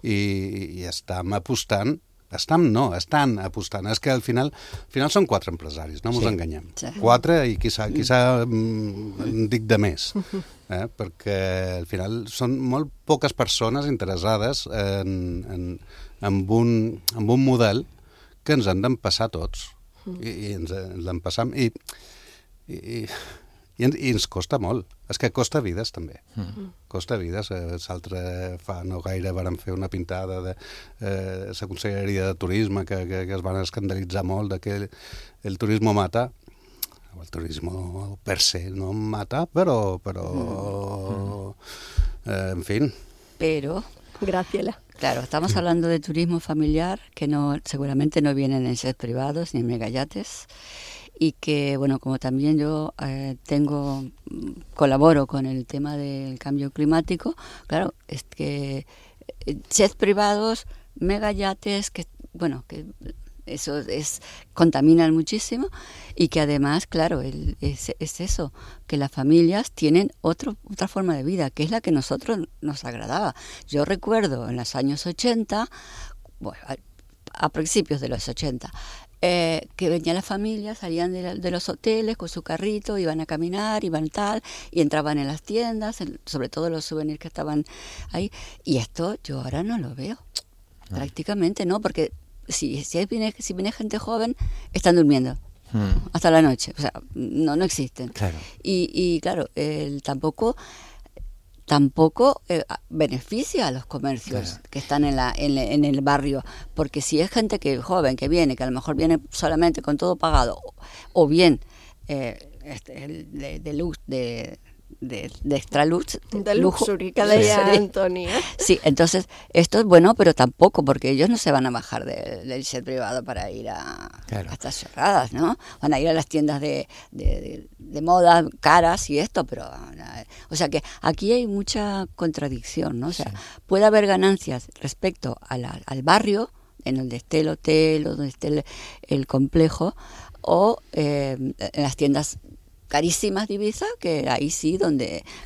S12: i estan apostant. Estan apostant. És que al final són 4 empresaris, no ens enganyem. 4 i quizà dic de més. Perquè al final són molt poques persones interessades en un model que ens han d'empassar tots. I ens l'empassam. I ens costa molt. És que costa vides, també. Costa vides. L'altre fa no gaire varen fer una pintada de la Conselleria de Turisme que es van escandalitzar molt de que el turisme mata. El turisme per se no mata, però en fin.
S14: Pero...
S3: Graciela.
S14: Claro, estamos hablando de turismo familiar, que seguramente no vienen en jets privados ni en megayates. Y que, bueno, como también yo colaboro con el tema del cambio climático, claro, es que jets privados, megayates, que eso contaminan muchísimo y que además, claro, es eso, que las familias tienen otra forma de vida, que es la que nosotros nos agradaba. Yo recuerdo en los años 80, bueno, a principios de los 80, que venían las familias, salían de los hoteles con su carrito, iban a caminar, iban tal, y entraban en las tiendas, sobre todo los souvenirs que estaban ahí, y esto yo ahora no lo veo, prácticamente no, porque si viene gente joven, están durmiendo hasta la noche, o sea, no existen.
S13: Claro.
S14: Y claro, tampoco beneficia a los comercios que están en el barrio, porque si es gente joven que viene, que a lo mejor viene solamente con todo pagado, o bien de extra luz,
S3: de luxury, que deia Antoni.
S14: Sí, entonces esto es bueno, pero tampoco, porque ellos no se van a bajar del jet privado para ir a estas chorradas, ¿no? Van a ir a las tiendas de moda caras y esto, pero o sea que aquí hay mucha contradicción, ¿no? O sea, puede haber ganancias respecto al barrio, en donde esté el hotel o donde esté el complejo, o en las tiendas carísimas de Ibiza, que ahí sí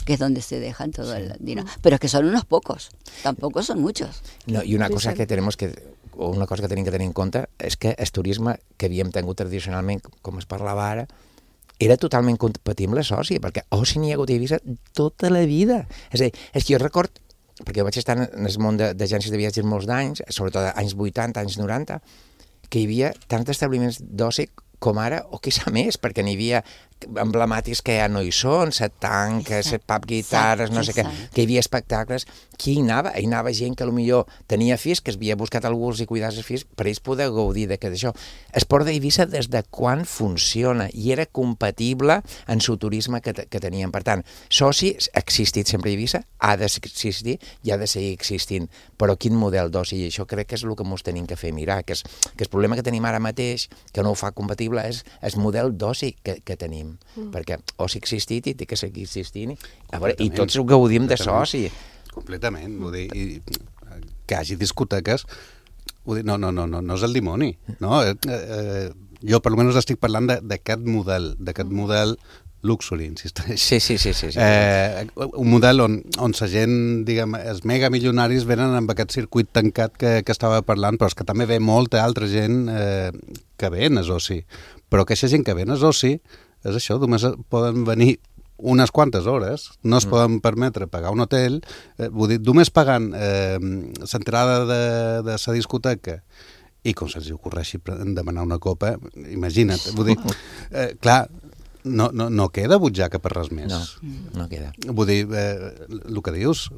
S14: que es donde se dejan todo el dinero, pero es que son unos pocos, tampoco son muchos.
S13: No, i una cosa que tenim que tenir en compte és que el turisme que havíem tingut tradicionalment, com es parlava ara, era totalment compatible a Soci, perquè Oci n'hi ha hagut a Ibiza tota la vida. És a dir, és que jo record, perquè jo vaig estar en el món d'agències de viatges molts d'anys, sobretot anys 80, anys 90, que hi havia tants establiments d'oci com ara, o quizà més, perquè n'hi havia emblemàtics que ja no hi són, set tanques, set pub guitarres, no sé què, que hi havia espectacles. Qui hi anava? Hi anava gent que potser tenia fills, que es havia buscat algú i cuidar els fills, per ells poder gaudir d'això. El port d'Eivissa des de quan funciona i era compatible en el turisme que teníem. Per tant, Soci ha existit sempre a Eivissa, ha d'existir i ha de seguir existint. Però quin model d'oci? I això crec que és el que ens tenim que fer mirar, que el problema que tenim ara mateix, que no ho fa compatible, és el model d'oci que tenim. Perquè oci ha existit i té que seguir existint i tots ho gaudim de soci.
S12: Completament, vull dir, que hi hagi discoteques, vull dir, no és el dimoni, no? Jo per almenys estic parlant d'aquest model luxury, insisteix.
S13: Sí.
S12: Un model on la gent, diguem, els megamilionaris venen amb aquest circuit tancat que estava parlant, però és que també ve molta altra gent que ve en el oci. Però aquesta gent que ve en el oci és això, només poden venir unes quantes hores, no es poden permetre pagar un hotel, vull dir, només pagant l'entrada de la discoteca i com se'ls ocorreixi demanar una copa, imagina't, vull dir, clar, no queda butxaca per res més.
S13: No queda.
S12: Vull dir, el que dius,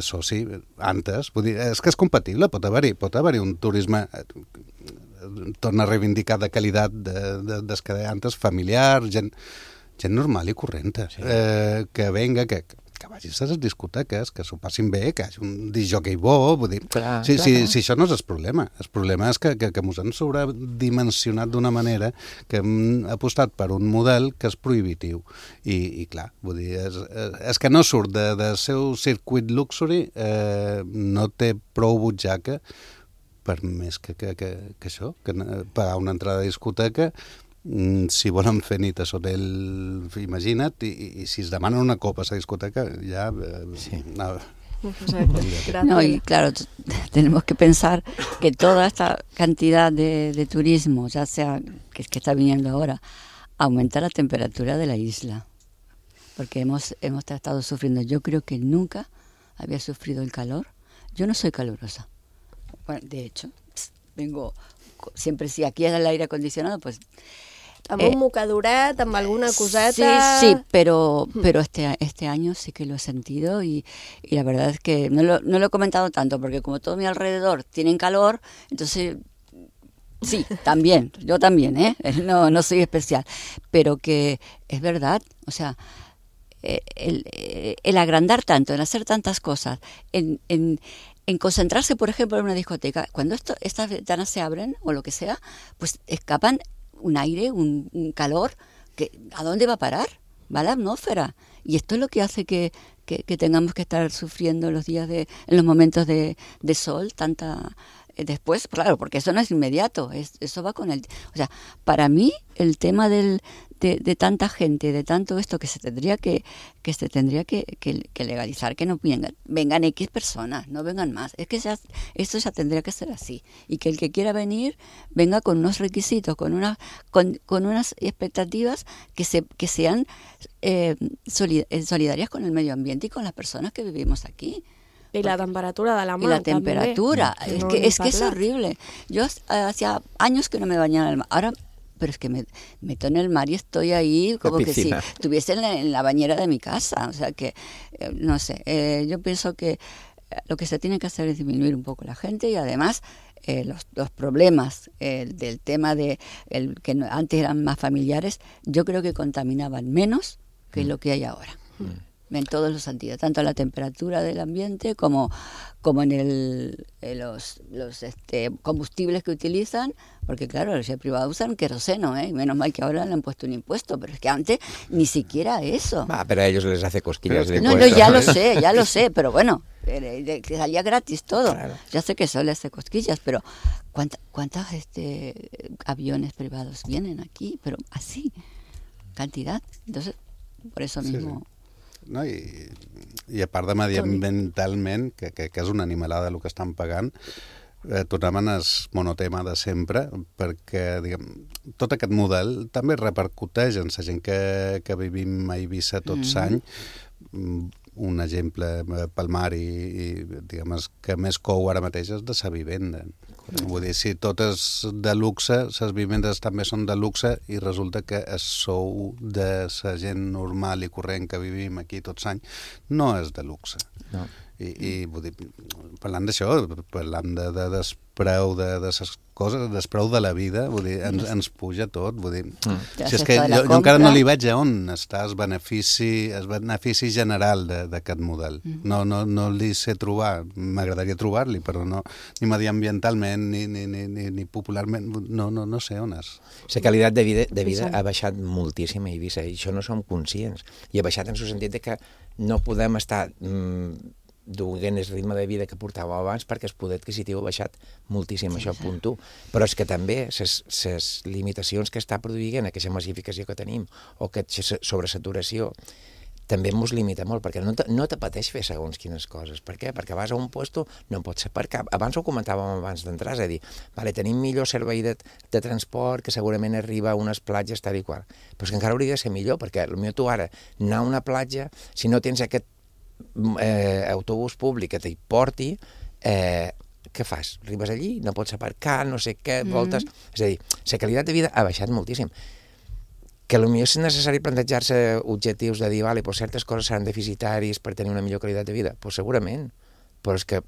S12: associ, antes, vull dir, és que és compatible, pot haver-hi un turisme torna a reivindicar de qualitat des que deia antes, familiar, gent normal i correnta, que venga, que vagi a les discoteques, que s'ho passin bé, que hi hagi un disjockey bo, vull dir, si això no és el problema és que ens han sobredimensionat d'una manera que hem apostat per un model que és prohibitiu i clar, vull dir, és que no surt del seu circuit luxury, no té prou butxaca per més que això, que pagar una entrada a discoteca, si volen fer nit a l'hotel, imagina't, i si es demanen una copa a la discoteca, ya...
S14: No, y claro, tenemos que pensar que toda esta cantidad de turismo, ya sea que está viniendo ahora, aumenta la temperatura de la isla, porque hemos estado sufriendo. Yo creo que nunca había sufrido el calor. Yo no soy calurosa. Bueno, de hecho, vengo siempre, si aquí es el aire acondicionado, pues...
S3: Amb un mocaduret, amb alguna coseta...
S14: Sí, pero este año sí que lo he sentido y la verdad es que no lo he comentado tanto, porque como todo mi alrededor tienen calor, entonces sí, también, yo también, no soy especial, pero que es verdad, o sea, el agrandar tanto, en hacer tantas cosas, en concentrarse, por ejemplo, en una discoteca, cuando estas ventanas se abren o lo que sea, pues escapan un aire, un calor, que ¿a dónde va a parar? Va a la atmósfera. Y esto es lo que hace que que tengamos que estar sufriendo en los momentos de sol, después, claro, porque eso no es inmediato, eso va con el... O sea, para mí el tema de tanta gente, de tanto esto que se tendría que legalizar, que no vengan X personas, no vengan más. Es que esto ya tendría que ser así. Y que el que quiera venir, venga con unos requisitos, con unas expectativas que sean solidarias con el medio ambiente y con las personas que vivimos aquí.
S3: Y la temperatura de la mar.
S14: Y la temperatura, es que es horrible. Yo hacía años que no me bañaba en el mar. Ahora, pero es que me meto en el mar y estoy ahí como que si estuviese en la bañera de mi casa. O sea que, no sé, yo pienso que lo que se tiene que hacer es disminuir un poco la gente y además los problemas del tema que antes eran más familiares, yo creo que contaminaban menos que lo que hay ahora. En todos los sentidos, tanto la temperatura del ambiente como en los combustibles que utilizan, porque claro, los privados usan queroseno, y menos mal que ahora le han puesto un impuesto, pero es que antes ni siquiera eso.
S13: Pero a ellos les hace cosquillas de
S14: impuestos. No, ya lo sé, pero bueno, que salía gratis todo. Claro. Ya sé que eso les hace cosquillas, pero ¿cuántos aviones privados vienen aquí? Pero así, cantidad. Entonces, por eso mismo...
S12: Sí. No, i a part de mediambientalment, que és una animalada el que estan pagant, tornem en el monotema de sempre, perquè tot aquest model també repercuteix en la gent que vivim a Eivissa tots any. Un exemple pel mar i diguem, que més cou ara mateix és de la vivenda. Vull dir, si totes de luxe, les vivendes també són de luxe i resulta que el sou de la gent normal i corrent que vivim aquí tots anys no és de luxe. No. I vull dir, parlant d'això, parlant de despreu de les coses, despreu de la vida, vull dir, ens puja tot, vull dir, si és que jo encara no li veig on està el benefici general d'aquest model. No li sé trobar, m'agradaria trobar-li, però no, ni mediambientalment ni popularment, no sé on és.
S13: La qualitat de vida ha baixat moltíssim a Eivissa i això no som conscients. I ha baixat en el sentit que no podem estar duent el ritme de vida que portàvem abans perquè el poder adquisitiu ha baixat moltíssim, això punt 1. Però és que també les limitacions que està produint aquesta massificació que tenim o aquesta sobresaturació també ens limita molt, perquè no t'apeteix fer segons quines coses. Per què? Perquè vas a un puesto, no pots aparcar. Abans ho comentàvem abans d'entrar, és a dir, tenim millor servei de transport, que segurament arriba a unes platges tal i qual. Però és que encara hauria de ser millor, perquè potser tu ara anar a una platja, si no tens aquest autobús públic que t'hi porti, què fas? Arribes allí, no pots aparcar, no sé què, voltes... És a dir, la qualitat de vida ha baixat moltíssim. Que potser és necessari plantejar-se objectius de dir, vale, pues certes coses seran deficitaris per tenir una millor qualitat de vida. Pues segurament, però és que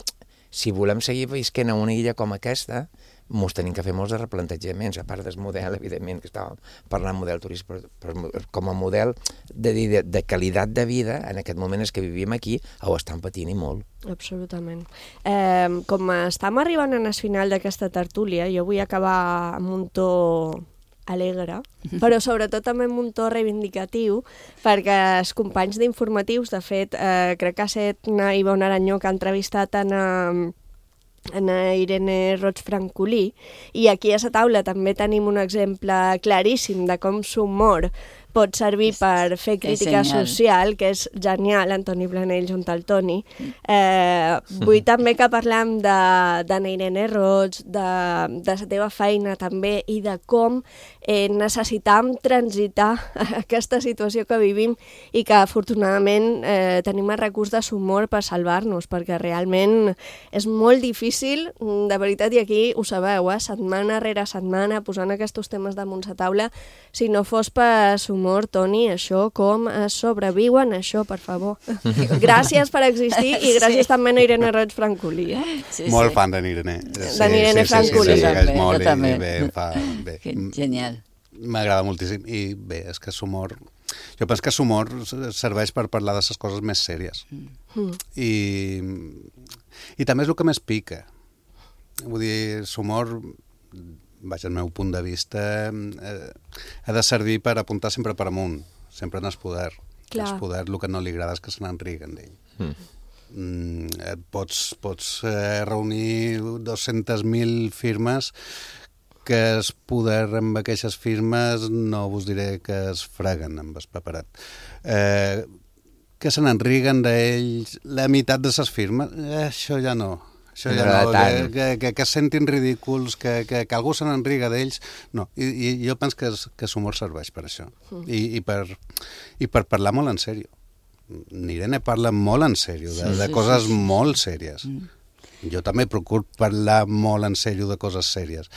S13: si volem seguir visquent a una illa com aquesta, ens tenim que fer molts de replantejaments, a part del model, evidentment, que estàvem parlant model turístic, però com a model de qualitat de vida, en aquest moment és que vivim aquí, ho estan patint i molt.
S3: Absolutament. Com estem arribant al final d'aquesta tertúlia, jo vull acabar amb un to alegre, però sobretot també amb un to reivindicatiu, perquè els companys d'informatius, de fet, crec que ha estat Ivonne Aranyó que ha entrevistat en Irene Roig Francolí, i aquí a la taula també tenim un exemple claríssim de com l'humor pot servir per fer crítica social, que és genial, Antoni Planell junt al Toni. Vull també que parlem de Irene Roig, de la teva feina també, i de com necessitam transitar aquesta situació que vivim i que afortunadament tenim el recurs de l'humor per salvar-nos, perquè realment és molt difícil, de veritat, i aquí ho sabeu, setmana rere setmana, posant aquests temes damunt la taula, si no fos per l'humor, Toni, això com sobreviuen, això, per favor. Gràcies per existir i gràcies també a Irene Roig Francolí.
S12: Molt fan d'Irene.
S3: D'Irene Francolí.
S14: Jo també. Genial.
S12: M'agrada moltíssim. I bé, és que l'humor... Jo penso que l'humor serveix per parlar de les coses més sèries. I també és el que més pica. Vull dir, l'humor, vaja, el meu punt de vista, ha de servir per apuntar sempre per amunt, sempre en el poder. el que no li agrada és que se n'enriguen d'ell. Pots reunir 200.000 firmes que es poder amb aquestes firmes no vos diré que es freguen amb el paperat. Que se n'enriguen d'ells la meitat de les firmes, això ja no. Això ja no, que es sentin ridículs, que algú se n'enriga d'ells, no. I jo penso que l'humor serveix per això. I per parlar molt en sèrio. N'Irene parla molt en sèrio, de coses molt sèries. Jo també procuro parlar molt en sèrio de coses sèries.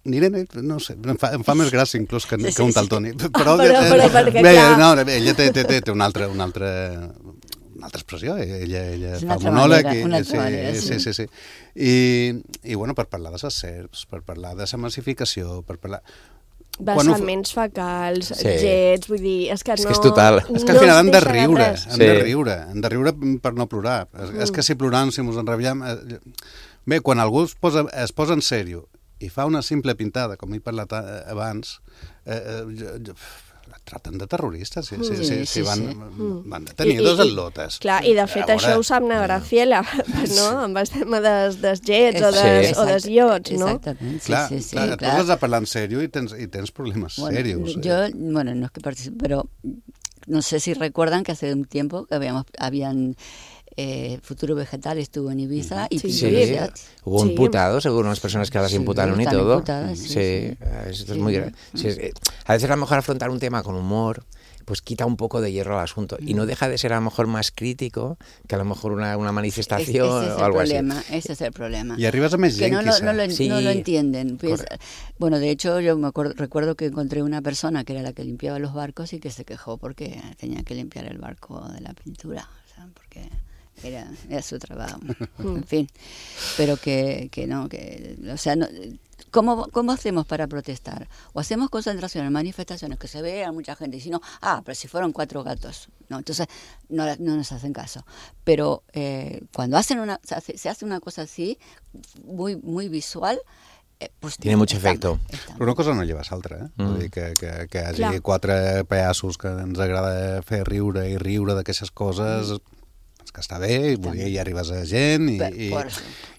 S12: N'Irene, no sé, em fa més gràcia inclús que un tal Toni. Però ella té una altra expressió, ella fa monòleg. Sí. I bueno, per parlar de les serps, per parlar de la massificació, per parlar...
S3: Vessaments fecals, jets, vull dir... És que
S13: és total.
S12: És que al final han de riure per no plorar. És que si plorant, si mos enrabiam... Bé, quan algú es posa en sèrio i fa una simple pintada, com he parlat abans, traten de terroristes, si van detenir dos atlotes.
S3: Clar, i de fet això ho sap na Graciela, no? Amb el tema dels jets o dels iots, no?
S14: Exactament,
S12: clar. Tu has de parlar en sèrio i tens problemes serios.
S14: Yo, no es que participe, pero no sé si recuerdan que hace un tiempo que habían Futuro Vegetal estuvo en Ibiza y
S13: hubo imputados, algunas personas que las imputaron y todo. Esto es muy grave. A veces a lo mejor afrontar un tema con humor pues quita un poco de hierro al asunto y no deja de ser a lo mejor más crítico que a lo mejor una manifestación o algo así.
S14: Ese es el problema.
S12: Y arribas a més gent,
S14: no lo entienden. Pues, bueno, de hecho yo recuerdo que encontré una persona que era la que limpiaba los barcos y que se quejó porque tenía que limpiar el barco de la pintura, o sea, porque era su trabajo, en fin, pero que no, o sea, no, ¿cómo hacemos para protestar? O hacemos concentraciones, manifestaciones, que se vea mucha gente, y si no, pero si fueron 4 gatos, no, entonces no nos hacen caso. Pero cuando se hace una cosa así, muy, muy visual, pues
S13: tiene mucho efecto.
S12: Però una cosa no lleva l'altra, Vull dir que hi hagi 4 pallassos que ens agrada fer riure i riure d'aquestes coses... que està bé, i arribes a gent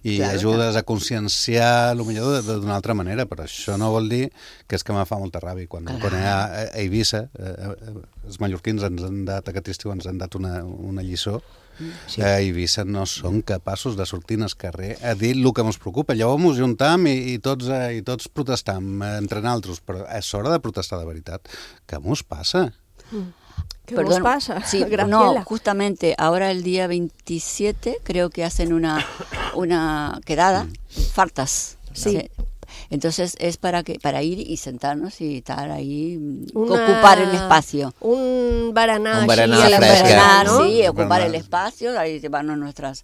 S12: i ajudes a conscienciar potser d'una altra manera, però això no vol dir que és que me fa molta ràbia. Quan a Eivissa, els mallorquins aquest estiu ens han dat una lliçó. A Eivissa no són capaços de sortir al carrer a dir el que ens preocupa. Llavors ens juntam i tots protestam entre nosaltres, però és hora de protestar de veritat. Què ens passa?
S3: ¿Qué nos pasa?
S14: Sí, no, justamente ahora el día 27 creo que hacen una quedada, fartas. Sí. Entonces es para ir y sentarnos y estar ahí, ocupar el espacio.
S3: Un baraná
S14: fresca, ¿no? Sí, ocupar el espacio, ahí llevarnos nuestras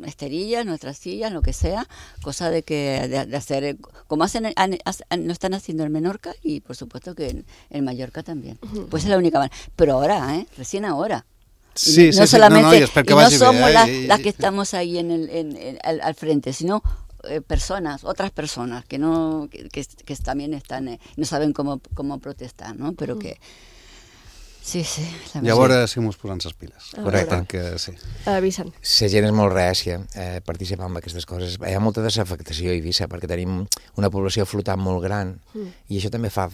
S14: esterillas, nuestras sillas, lo que sea, cosa de hacer, como lo están haciendo en Menorca y por supuesto que en Mallorca también. Pues es la única manera. Pero ahora, recién ahora.
S12: Sí,
S14: no solamente, no somos las que estamos ahí al frente, sino otras personas que también están, no saben cómo protestar, ¿no? Pero que sí.
S12: Llavors sí mos posant les piles.
S13: Correcte.
S12: Sí.
S3: Vicent.
S13: La gent és molt reàcia a participar en aquestes coses. Hi ha molta desafectació a Eivissa perquè tenim una població flotant molt gran i això també fa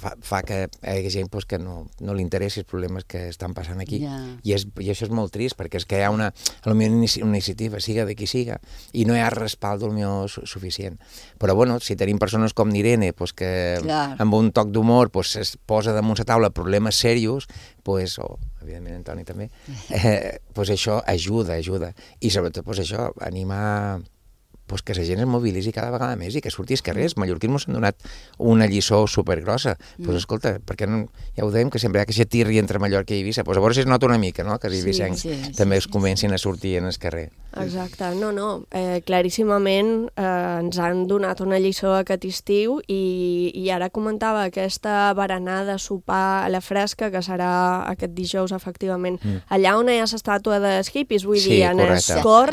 S13: que hi hagi gent que no li interessi els problemes que estan passant aquí. I això és molt trist perquè és que hi ha una iniciativa, siga de qui siga, i no hi ha respald suficient. Però bueno, si tenim persones com n'Irene que amb un toc d'humor es posa damunt la taula problemes serios, o evidentment Antoni també, això ajuda. I sobretot això, animar que la gent es mobilitzi cada vegada més i que surti als carrers. Mallorquins ens han donat una lliçó supergrossa. Escolta, perquè ja ho dèiem, que sempre hi ha aquesta tirri entre Mallorca i Eivissa. A veure si es nota una mica, no?, que els eivissencs també es comencin a sortir en el carrer.
S3: Exacte, no. Claríssimament ens han donat una lliçó aquest estiu i ara comentava aquesta berenada, sopar a la fresca, que serà aquest dijous, efectivament, allà on hi ha l'estàtua dels hippies, vull dir, en el cor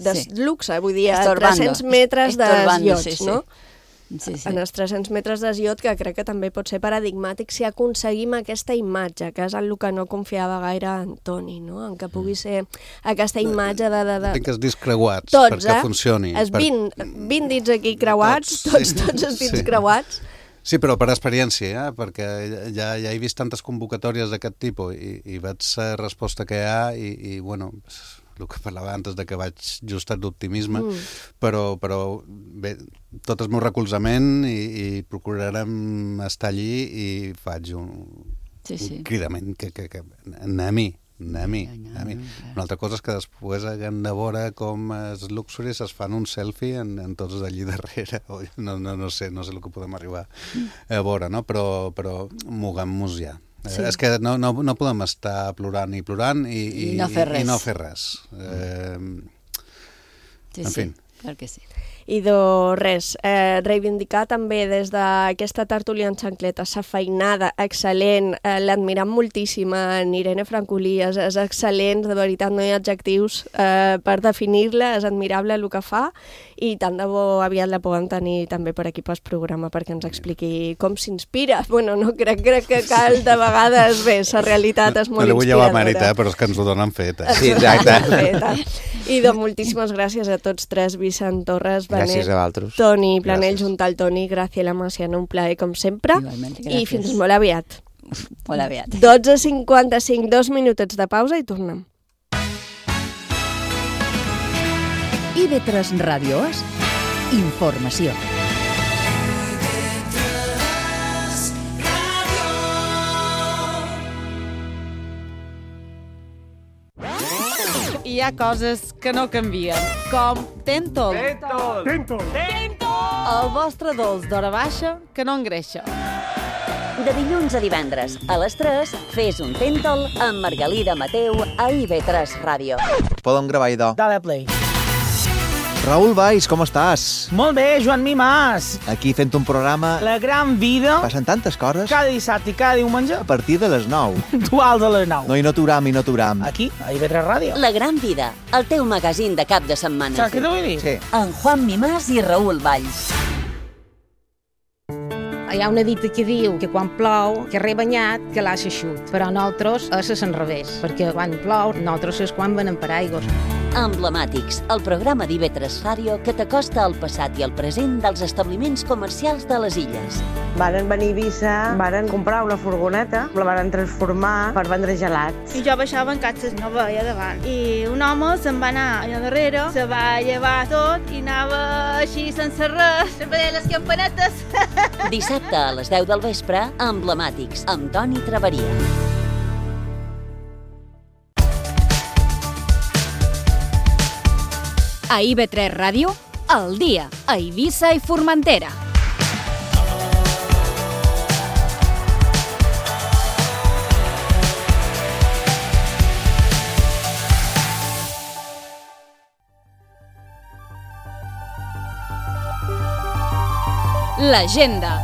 S3: de luxe, vull dir, a 300 metres dels iots, no? en els 300 metres d'Asiot, que crec que també pot ser paradigmàtic si aconseguim aquesta imatge, que és el que no confiava gaire en Toni, no? En que pugui ser aquesta imatge de...
S12: Tinc els dits creuats
S3: tots,
S12: perquè funcioni.
S3: Els 20 dits aquí creuats, tots els dits creuats.
S12: Sí, però per experiència, perquè ja he vist tantes convocatòries d'aquest tipus i veig la resposta que hi ha i bueno, el que parlava antes de que vaig justat d'optimisme, però bé, tot el meu recolzament i procurarem estar allí i faig un cridament que anem-hi. Una altra cosa és que després haguem de veure com els luxuris es fan un selfie en tots d'allí darrere. No sé el que podem arribar a veure, no? Però moguem-nos ja. Sí. És que no podem estar plorant i no fer res. En fi.
S14: Clar que sí.
S3: I res, reivindicar també des d'aquesta tertúlia en xancleta sa feinada excel·lent, l'admirem moltíssim en Irene Francolí, és excel·lent, de veritat no hi ha adjectius per definir-la, és admirable el que fa i tant de bo aviat la podem tenir també per aquí pel programa perquè ens expliqui com s'inspira. Bueno, no crec que cal de vegades, bé, la realitat és molt inspiradora.
S12: No li vull llevar mèrit, però és que ens ho donen fet.
S13: Sí, exacte.
S3: I doncs moltíssimes gràcies a tots tres, Vicent Torres,
S13: gràcies a vosaltres.
S3: Toni Planell, junt al Toni, Graciela Maciano, un plaer com sempre. I fins molt aviat.
S14: Molt aviat.
S3: 12:55, 2 minutets de pausa i tornem.
S1: IB3 Ràdio és informació.
S15: Hi ha coses que no canvien, com Tentol.
S16: Tentol.
S15: El vostre dolç d'hora baixa que no engreixa.
S9: De dilluns a divendres, a les 3, fes un Tentol amb Margalida Mateu a IB3 Ràdio.
S17: Podem gravar, idò.
S16: Dale play.
S17: Raül Valls, com estàs?
S16: Molt bé, Joan Mimàs.
S17: Aquí fent un programa...
S16: La gran vida.
S17: Passen tantes coses.
S16: Cada dissabte i cada diumenge.
S17: A partir de les 9.
S16: Dual de les 9.
S17: No hi noturam.
S16: Aquí, a IB3 Ràdio.
S9: La gran vida, el teu magazín de cap de setmana.
S16: Saps què t'ho vull dir?
S17: Sí.
S9: En Juan Mimàs i Raül Valls.
S18: Hi ha una dita que diu que quan plou, que rebanyat, que l'ha xut. Però nosaltres és l'enrevés, perquè quan plou, nosaltres és quan venen paraigües.
S9: Emblemàtics, el programa d'IB3 Ràdio que t'acosta al passat i al present dels establiments comercials de les illes.
S19: Varen venir a Eivissa, varen comprar una furgoneta, la varen transformar per vendre gelats.
S20: I jo baixava en catxes, no veia davant. I un home se'n va anar allà darrere, se va llevar tot i anava així sense res, se'n veia les campanetes.
S9: Dissabte a les 10 del vespre, Emblemàtics, amb Toni Traveria.
S2: A IB3 Ràdio, al dia, a Eivissa i Formentera. L'agenda.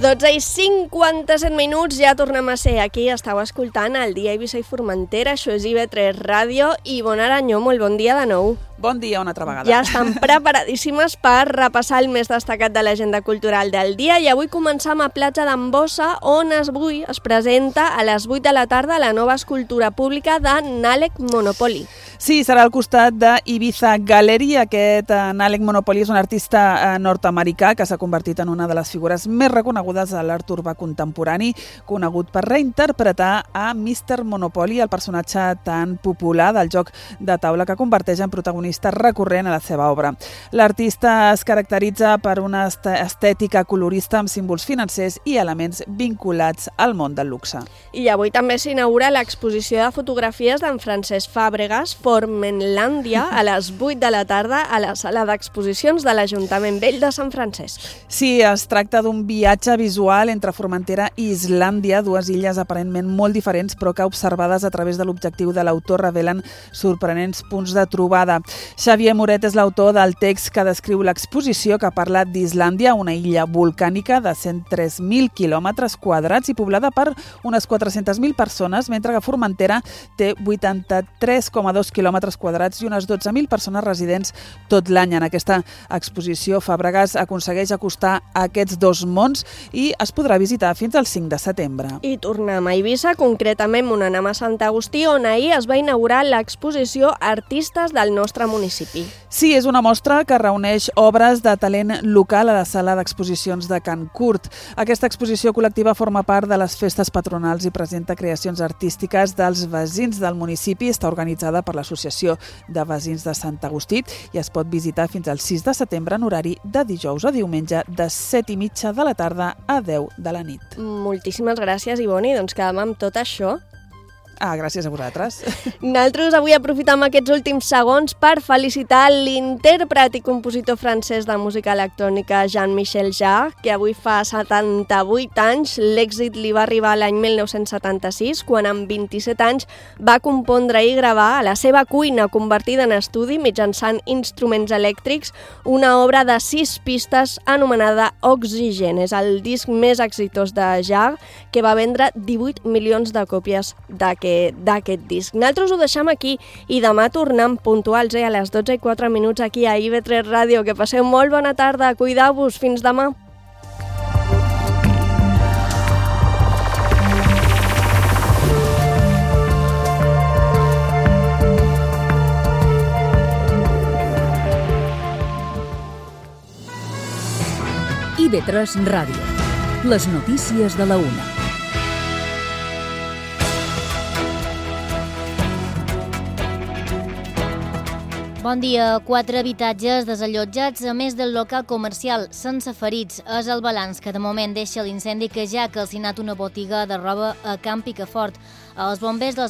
S3: 12:57 minuts, ja tornem a ser aquí. Estau escoltant el dia Eivissa i Formentera, això és IB3 Ràdio i Bona Aranyó, molt bon dia de nou.
S4: Bon dia una altra vegada.
S3: Ja estan preparadíssimes per repassar el més destacat de l'agenda cultural del dia i avui començam a Platja d'Ambossa, on avui es presenta a les 8 de la tarda la nova escultura pública de Nalek Monopoly.
S4: Sí, serà al costat d'Ibiza Gallery. Aquest Nalek Monopoly és un artista nord-americà que s'ha convertit en una de les figures més reconegudes de l'art urbà contemporani, conegut per reinterpretar a Mr. Monopoly, el personatge tan popular del joc de taula que converteix en protagonista recurrent a la seva obra. L'artista es caracteritza per una estètica colorista amb símbols financers i elements vinculats al món del luxe.
S3: I avui també s'inaugura l'exposició de fotografies d'en Francesc Fàbregas, Formenlàndia, a les 8 de la tarda a la sala d'exposicions de l'Ajuntament Vell de Sant Francesc.
S4: Sí, es tracta d'un viatge visual entre Formentera i Islàndia, dues illes aparentment molt diferents però que observades a través de l'objectiu de l'autor revelen sorprenents punts de trobada. Xavier Moret és l'autor del text que descriu l'exposició que parla d'Islàndia, una illa volcànica de 103.000 quilòmetres quadrats i poblada per unes 400.000 persones, mentre que Formentera té 83,2 quilòmetres quadrats i unes 12.000 persones residents tot l'any. En aquesta exposició, Fàbregas aconsegueix acostar aquests dos mons i es podrà visitar fins al 5 de setembre.
S3: I tornem a Eivissa, concretament on anem a Sant Agustí, on ahir es va inaugurar l'exposició Artistes del nostre municipi.
S4: Sí, és una mostra que reuneix obres de talent local a la sala d'exposicions de Can Curt. Aquesta exposició col·lectiva forma part de les festes patronals i presenta creacions artístiques dels veïns del municipi. Està organitzada per l'Associació de Veïns de Sant Agustí i es pot visitar fins al 6 de setembre en horari de dijous a diumenge de 7:30 de la tarda a 10 de la nit.
S3: Moltíssimes gràcies, Ivoni. Doncs quedem amb tot això.
S4: Gràcies a vosaltres.
S3: Nosaltres avui aprofitem aquests últims segons per felicitar l'intèrpret i compositor francès de música electrònica Jean-Michel Jarre, que avui fa 78 anys. L'èxit li va arribar l'any 1976, quan amb 27 anys va compondre i gravar a la seva cuina convertida en estudi mitjançant instruments elèctrics una obra de 6 pistes anomenada Oxygen. És el disc més exitós de Jarre, que va vendre 18 milions de còpies d'aquest disc. Nosaltres ho deixem aquí i demà tornem puntuals a les 12:04 aquí a IB3 Ràdio. Que passeu molt bona tarda, cuideu-vos, fins demà.
S1: IB3 Ràdio. Les notícies de la 1.
S21: Bon dia. 4 habitatges desallotjats, a més del local comercial, sense ferits. És el balanç que de moment deixa l'incendi que ja ha calcinat una botiga de roba a Camp Picafort. Els bombers dels